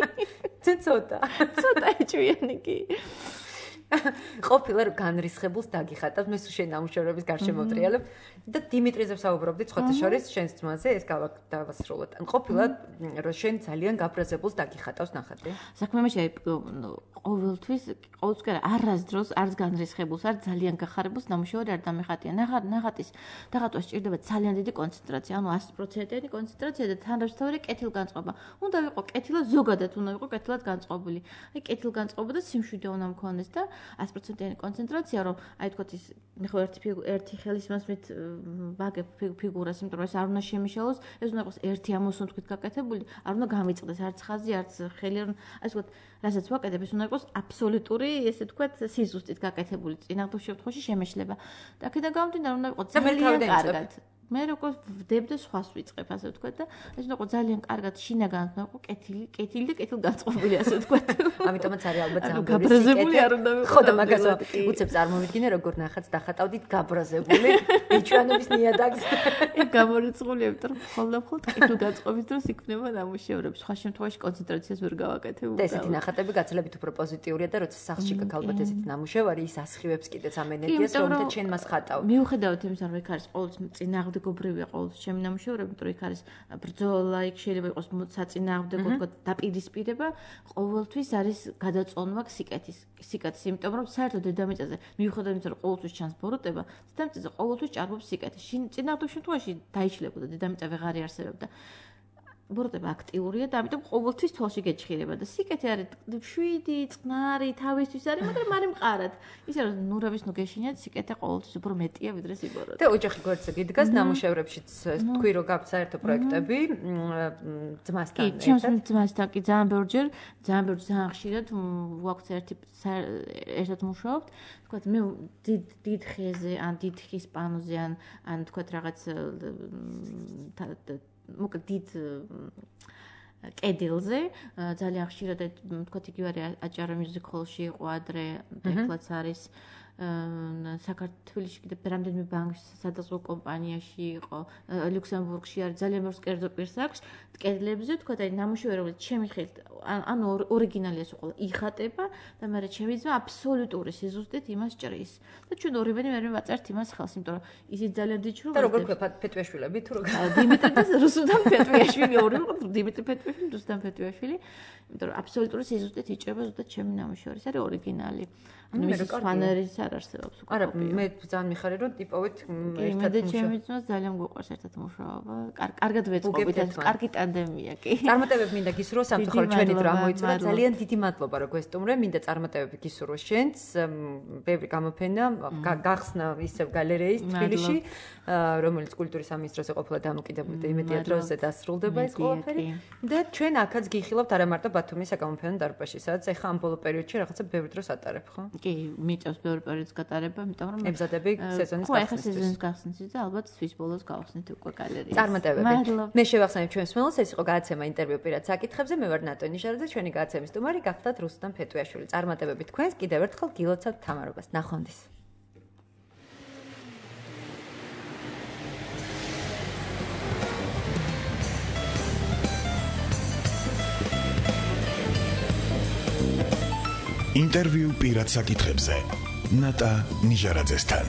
ცოტა. ცოტა ეჭვიანი კი. ყოფილა განრისხებულს დაგიხატავს მე სულ შენ ნამუშევრების გარშემოტრიალებ და დიმიტრიზე ვსაუბრობდი ცხოთა შორის შენს ძმაზე ეს გავასრულოთ. ან ყოფილა რომ შენ ძალიან გაბრაზებულს დაგიხატავს ნახატი. საქმე მაშინ აი ყოველთვის ყოველთვის არასდროს არც განრისხებულს არ ძალიან გახარებულს ნამუშევარი არ დამეხატია. ნახატ ნახატის დაღატვას სჭირდება ძალიან დიდი კონცენტრაცია, ანუ ათი პროცენტიანი კონცენტრაცია და თანადამსწრებელი კეთილგანწყობა. უნდა ვიყო კეთილად ზოგადად უნდა ვიყო კეთილად განწყობილი. აი კეთილგანწყობა და სიმშვიდე უნდა მქონდეს და one hundred percent-იანი კონცენტრაცია, რომ აი თქვათ ის მე ხო ერთი ერთი ხელის მასმით ვაგებ ფიგურას, იმიტომ რომ ეს არ უნდა შემიშალოს, ეს უნდა იყოს ერთი ამოსუნთქვით გაკეთებული, არ უნდა გამიწყდეს არც ხაზი, არც ხელი, რომ აი თქვათ რასაც ვაკეთებ, ეს უნდა იყოს აბსოლუტური, ესე თქვათ, სიზუსტით გაკეთებული. წინააღმდეგ შემთხვევაში შემეშლება. და აქედან გამომდინარე, უნდა იყოს ძალიან კარგად. მე როგორ ვდებდე სხვას ვიწყებ, ასე ვთქვათ და ეს უნდა იყოს ძალიან კარგად შინაგან, უნდა იყოს კეთილი, კეთილი და კეთილგანწყობილი, ასე ვთქვათ. ამიტომაც არის ალბათ ძალიან გაბრაზებული არ უნდა ვიყო. ხო და მაგას უცებ წარმოვიდგინე, როგორ ნახაც დახატავდით გაბრაზებული ბიჭვანობის ნიადაგს. ეგ გამორიცხულია, იმიტომ რომ ხოლმე-ხოლმე კეთილგანწყობის დროს იქნება ნამუშევრები. სხვა შემთხვევაში კონცენტრაციას ვერ გავაკეთებ. და ესეთი ნახატები გაცილებით უფრო პოზიტიურია და როცა სახლში გქ ალბათ ესეთი ნამუშევარი, ის ასხივებს კიდეც ამ ენერგიას, რომელთა ჩვენ მას ხატავ. მიუხედავად იმისა, რომ იქ არის ყოველთვის წინააღმდეგ გობრივია ყოველთვის ჩემი ნამუშევრები, იმიტომ რომ იქ არის ბრძოლა, იქ შეიძლება იყოს საწინააღმდეგო თქვა დაპირისპირება, ყოველთვის არის გადაწონვა სიკეთის, სიკეთის, იმიტომ რომ საერთოდ დედამიწაზე მიუხედავად იმისა, რომ ყოველთვის ჩანს ბოროტება, დედამიწაზე ყოველთვის ჭარბობს სიკეთი. წინააღმდეგ შემთხვევაში დაიშლებოდა დედამიწა ვეღარ იარსებებდა. ბოროტება აქტიურია და ამიტომ ყოველთვის თვალში გეჭხირება და სიკეთე არის შვიდი, წყნარი, თავისთვის არის, მაგრამ არ იმყარად. ისე რომ ნურავის ნუ გეშინიათ, სიკეთე ყოველთვის უფრო მეტია ვიდრე სიბოროტე. და ოჯახი გვერდზე გიდგას ნამუშევრებშიც თქვი რომ გაქვთ საერთო პროექტები ძმასთან ერთად. კი, ჩემს ძმასთან კი ძალიან ბევრჯერ, ძალიან ბევრჯერ ძალიან ხშირად ვაქვთ ერთი ერთად მუშაობთ. თქვათ მე დიდ დიდ ხეზე, ან დიდ ხის პანოზე, ან ან თქვათ რაღაც მოკლედ დიდ კედელზე ძალიან ხშირად თქვათ იგივე არის აჭარა მუსიკოლში იყო ადრე ეხლაც არის საქართველოში კიდე რამდენიმე ბანკში, სადაზღვო კომპანიაში იყო, ლუქსემბურგში არის ძალიან ბევრ კერძო პირს აქვს კედლებზე, თქვათ აი ნამუშევრები ჩემი ხელით ანუ ორიგინალია სულ იხატება და მე ჩემი ძმა აბსოლუტური სიზუსტით იმას ჭრის. და ჩვენ ორივენი მე ვაწერთ იმას ხელს, იმიტომ რომ ისიც ძალიან დიჩრობ. და როგორ ქვია ფეტვიაშვილები თუ როგორ? დიმიტრი და რუსუდან ფეტვიაშვილი ორივე დიმიტრი ფეტვიაშვილი, რუსუდან ფეტვიაშვილი, იმიტომ რომ აბსოლუტური სიზუსტით იჭრება ზუსტად ჩემი ნამუშევარი, ეს არის ორიგინალი. ანუ ის ფანერის არ არსებობს უკვე. არა, მე ძალიან მიხარი რომ ტიპოვით ერთად მუშაობ. ჩემი ძმას ძალიან გვიყვარს ერთად მუშაობა. კარგად ვეწყობით, კარგი ტანდემია კი. წარმატებები მინდა გისურვო სამწუხაროდ ჩვენი დრო ამოიწურა. ძალიან დიდი მადლობა რომ გვესტუმრე. მინდა წარმატებები გისურვო შენც. ბევრი გამოფენა გახსნა ისევ გალერეის თბილისში, რომელიც კულტურის სამინისტროს ყოფილა დამოკიდებული და იმედია დროზე დასრულდება ეს ყველაფერი. და ჩვენ აქაც გიხილავთ არა მარტო ბათუმის საკამოფენო დარბაზში, სადაც ეხა ამ ბოლო პერიოდში რაღაცა ბევრი დროს ატარებ, ხო? კი, მიწევს ბევრი პერიოდის გატარება, იმიტომ რომ ებზადები სეზონის გახსნას. ხო, ეხა სეზონის გახსნას და ალბათ თვის ბოლოს გავხსნით უკვე გალერეის. წარმატებები. მე შევახსენებ ჩვენს მსმენელს, ეს იყო გადაცემა ინტერვიუ პირად საკითხებზე. მე ვარ ნატო ნიშარაძე, ჩვენი გადაცემის სტუმარი გახდათ რუსუდან ფეტვიაშვილი. წარმატებები თქვენს, კიდევ ერთხელ გილოცავთ თამარობას. ნახვამდის. ინტერვიუ პირად საკითხებზე ნატა ნიშარაძესთან.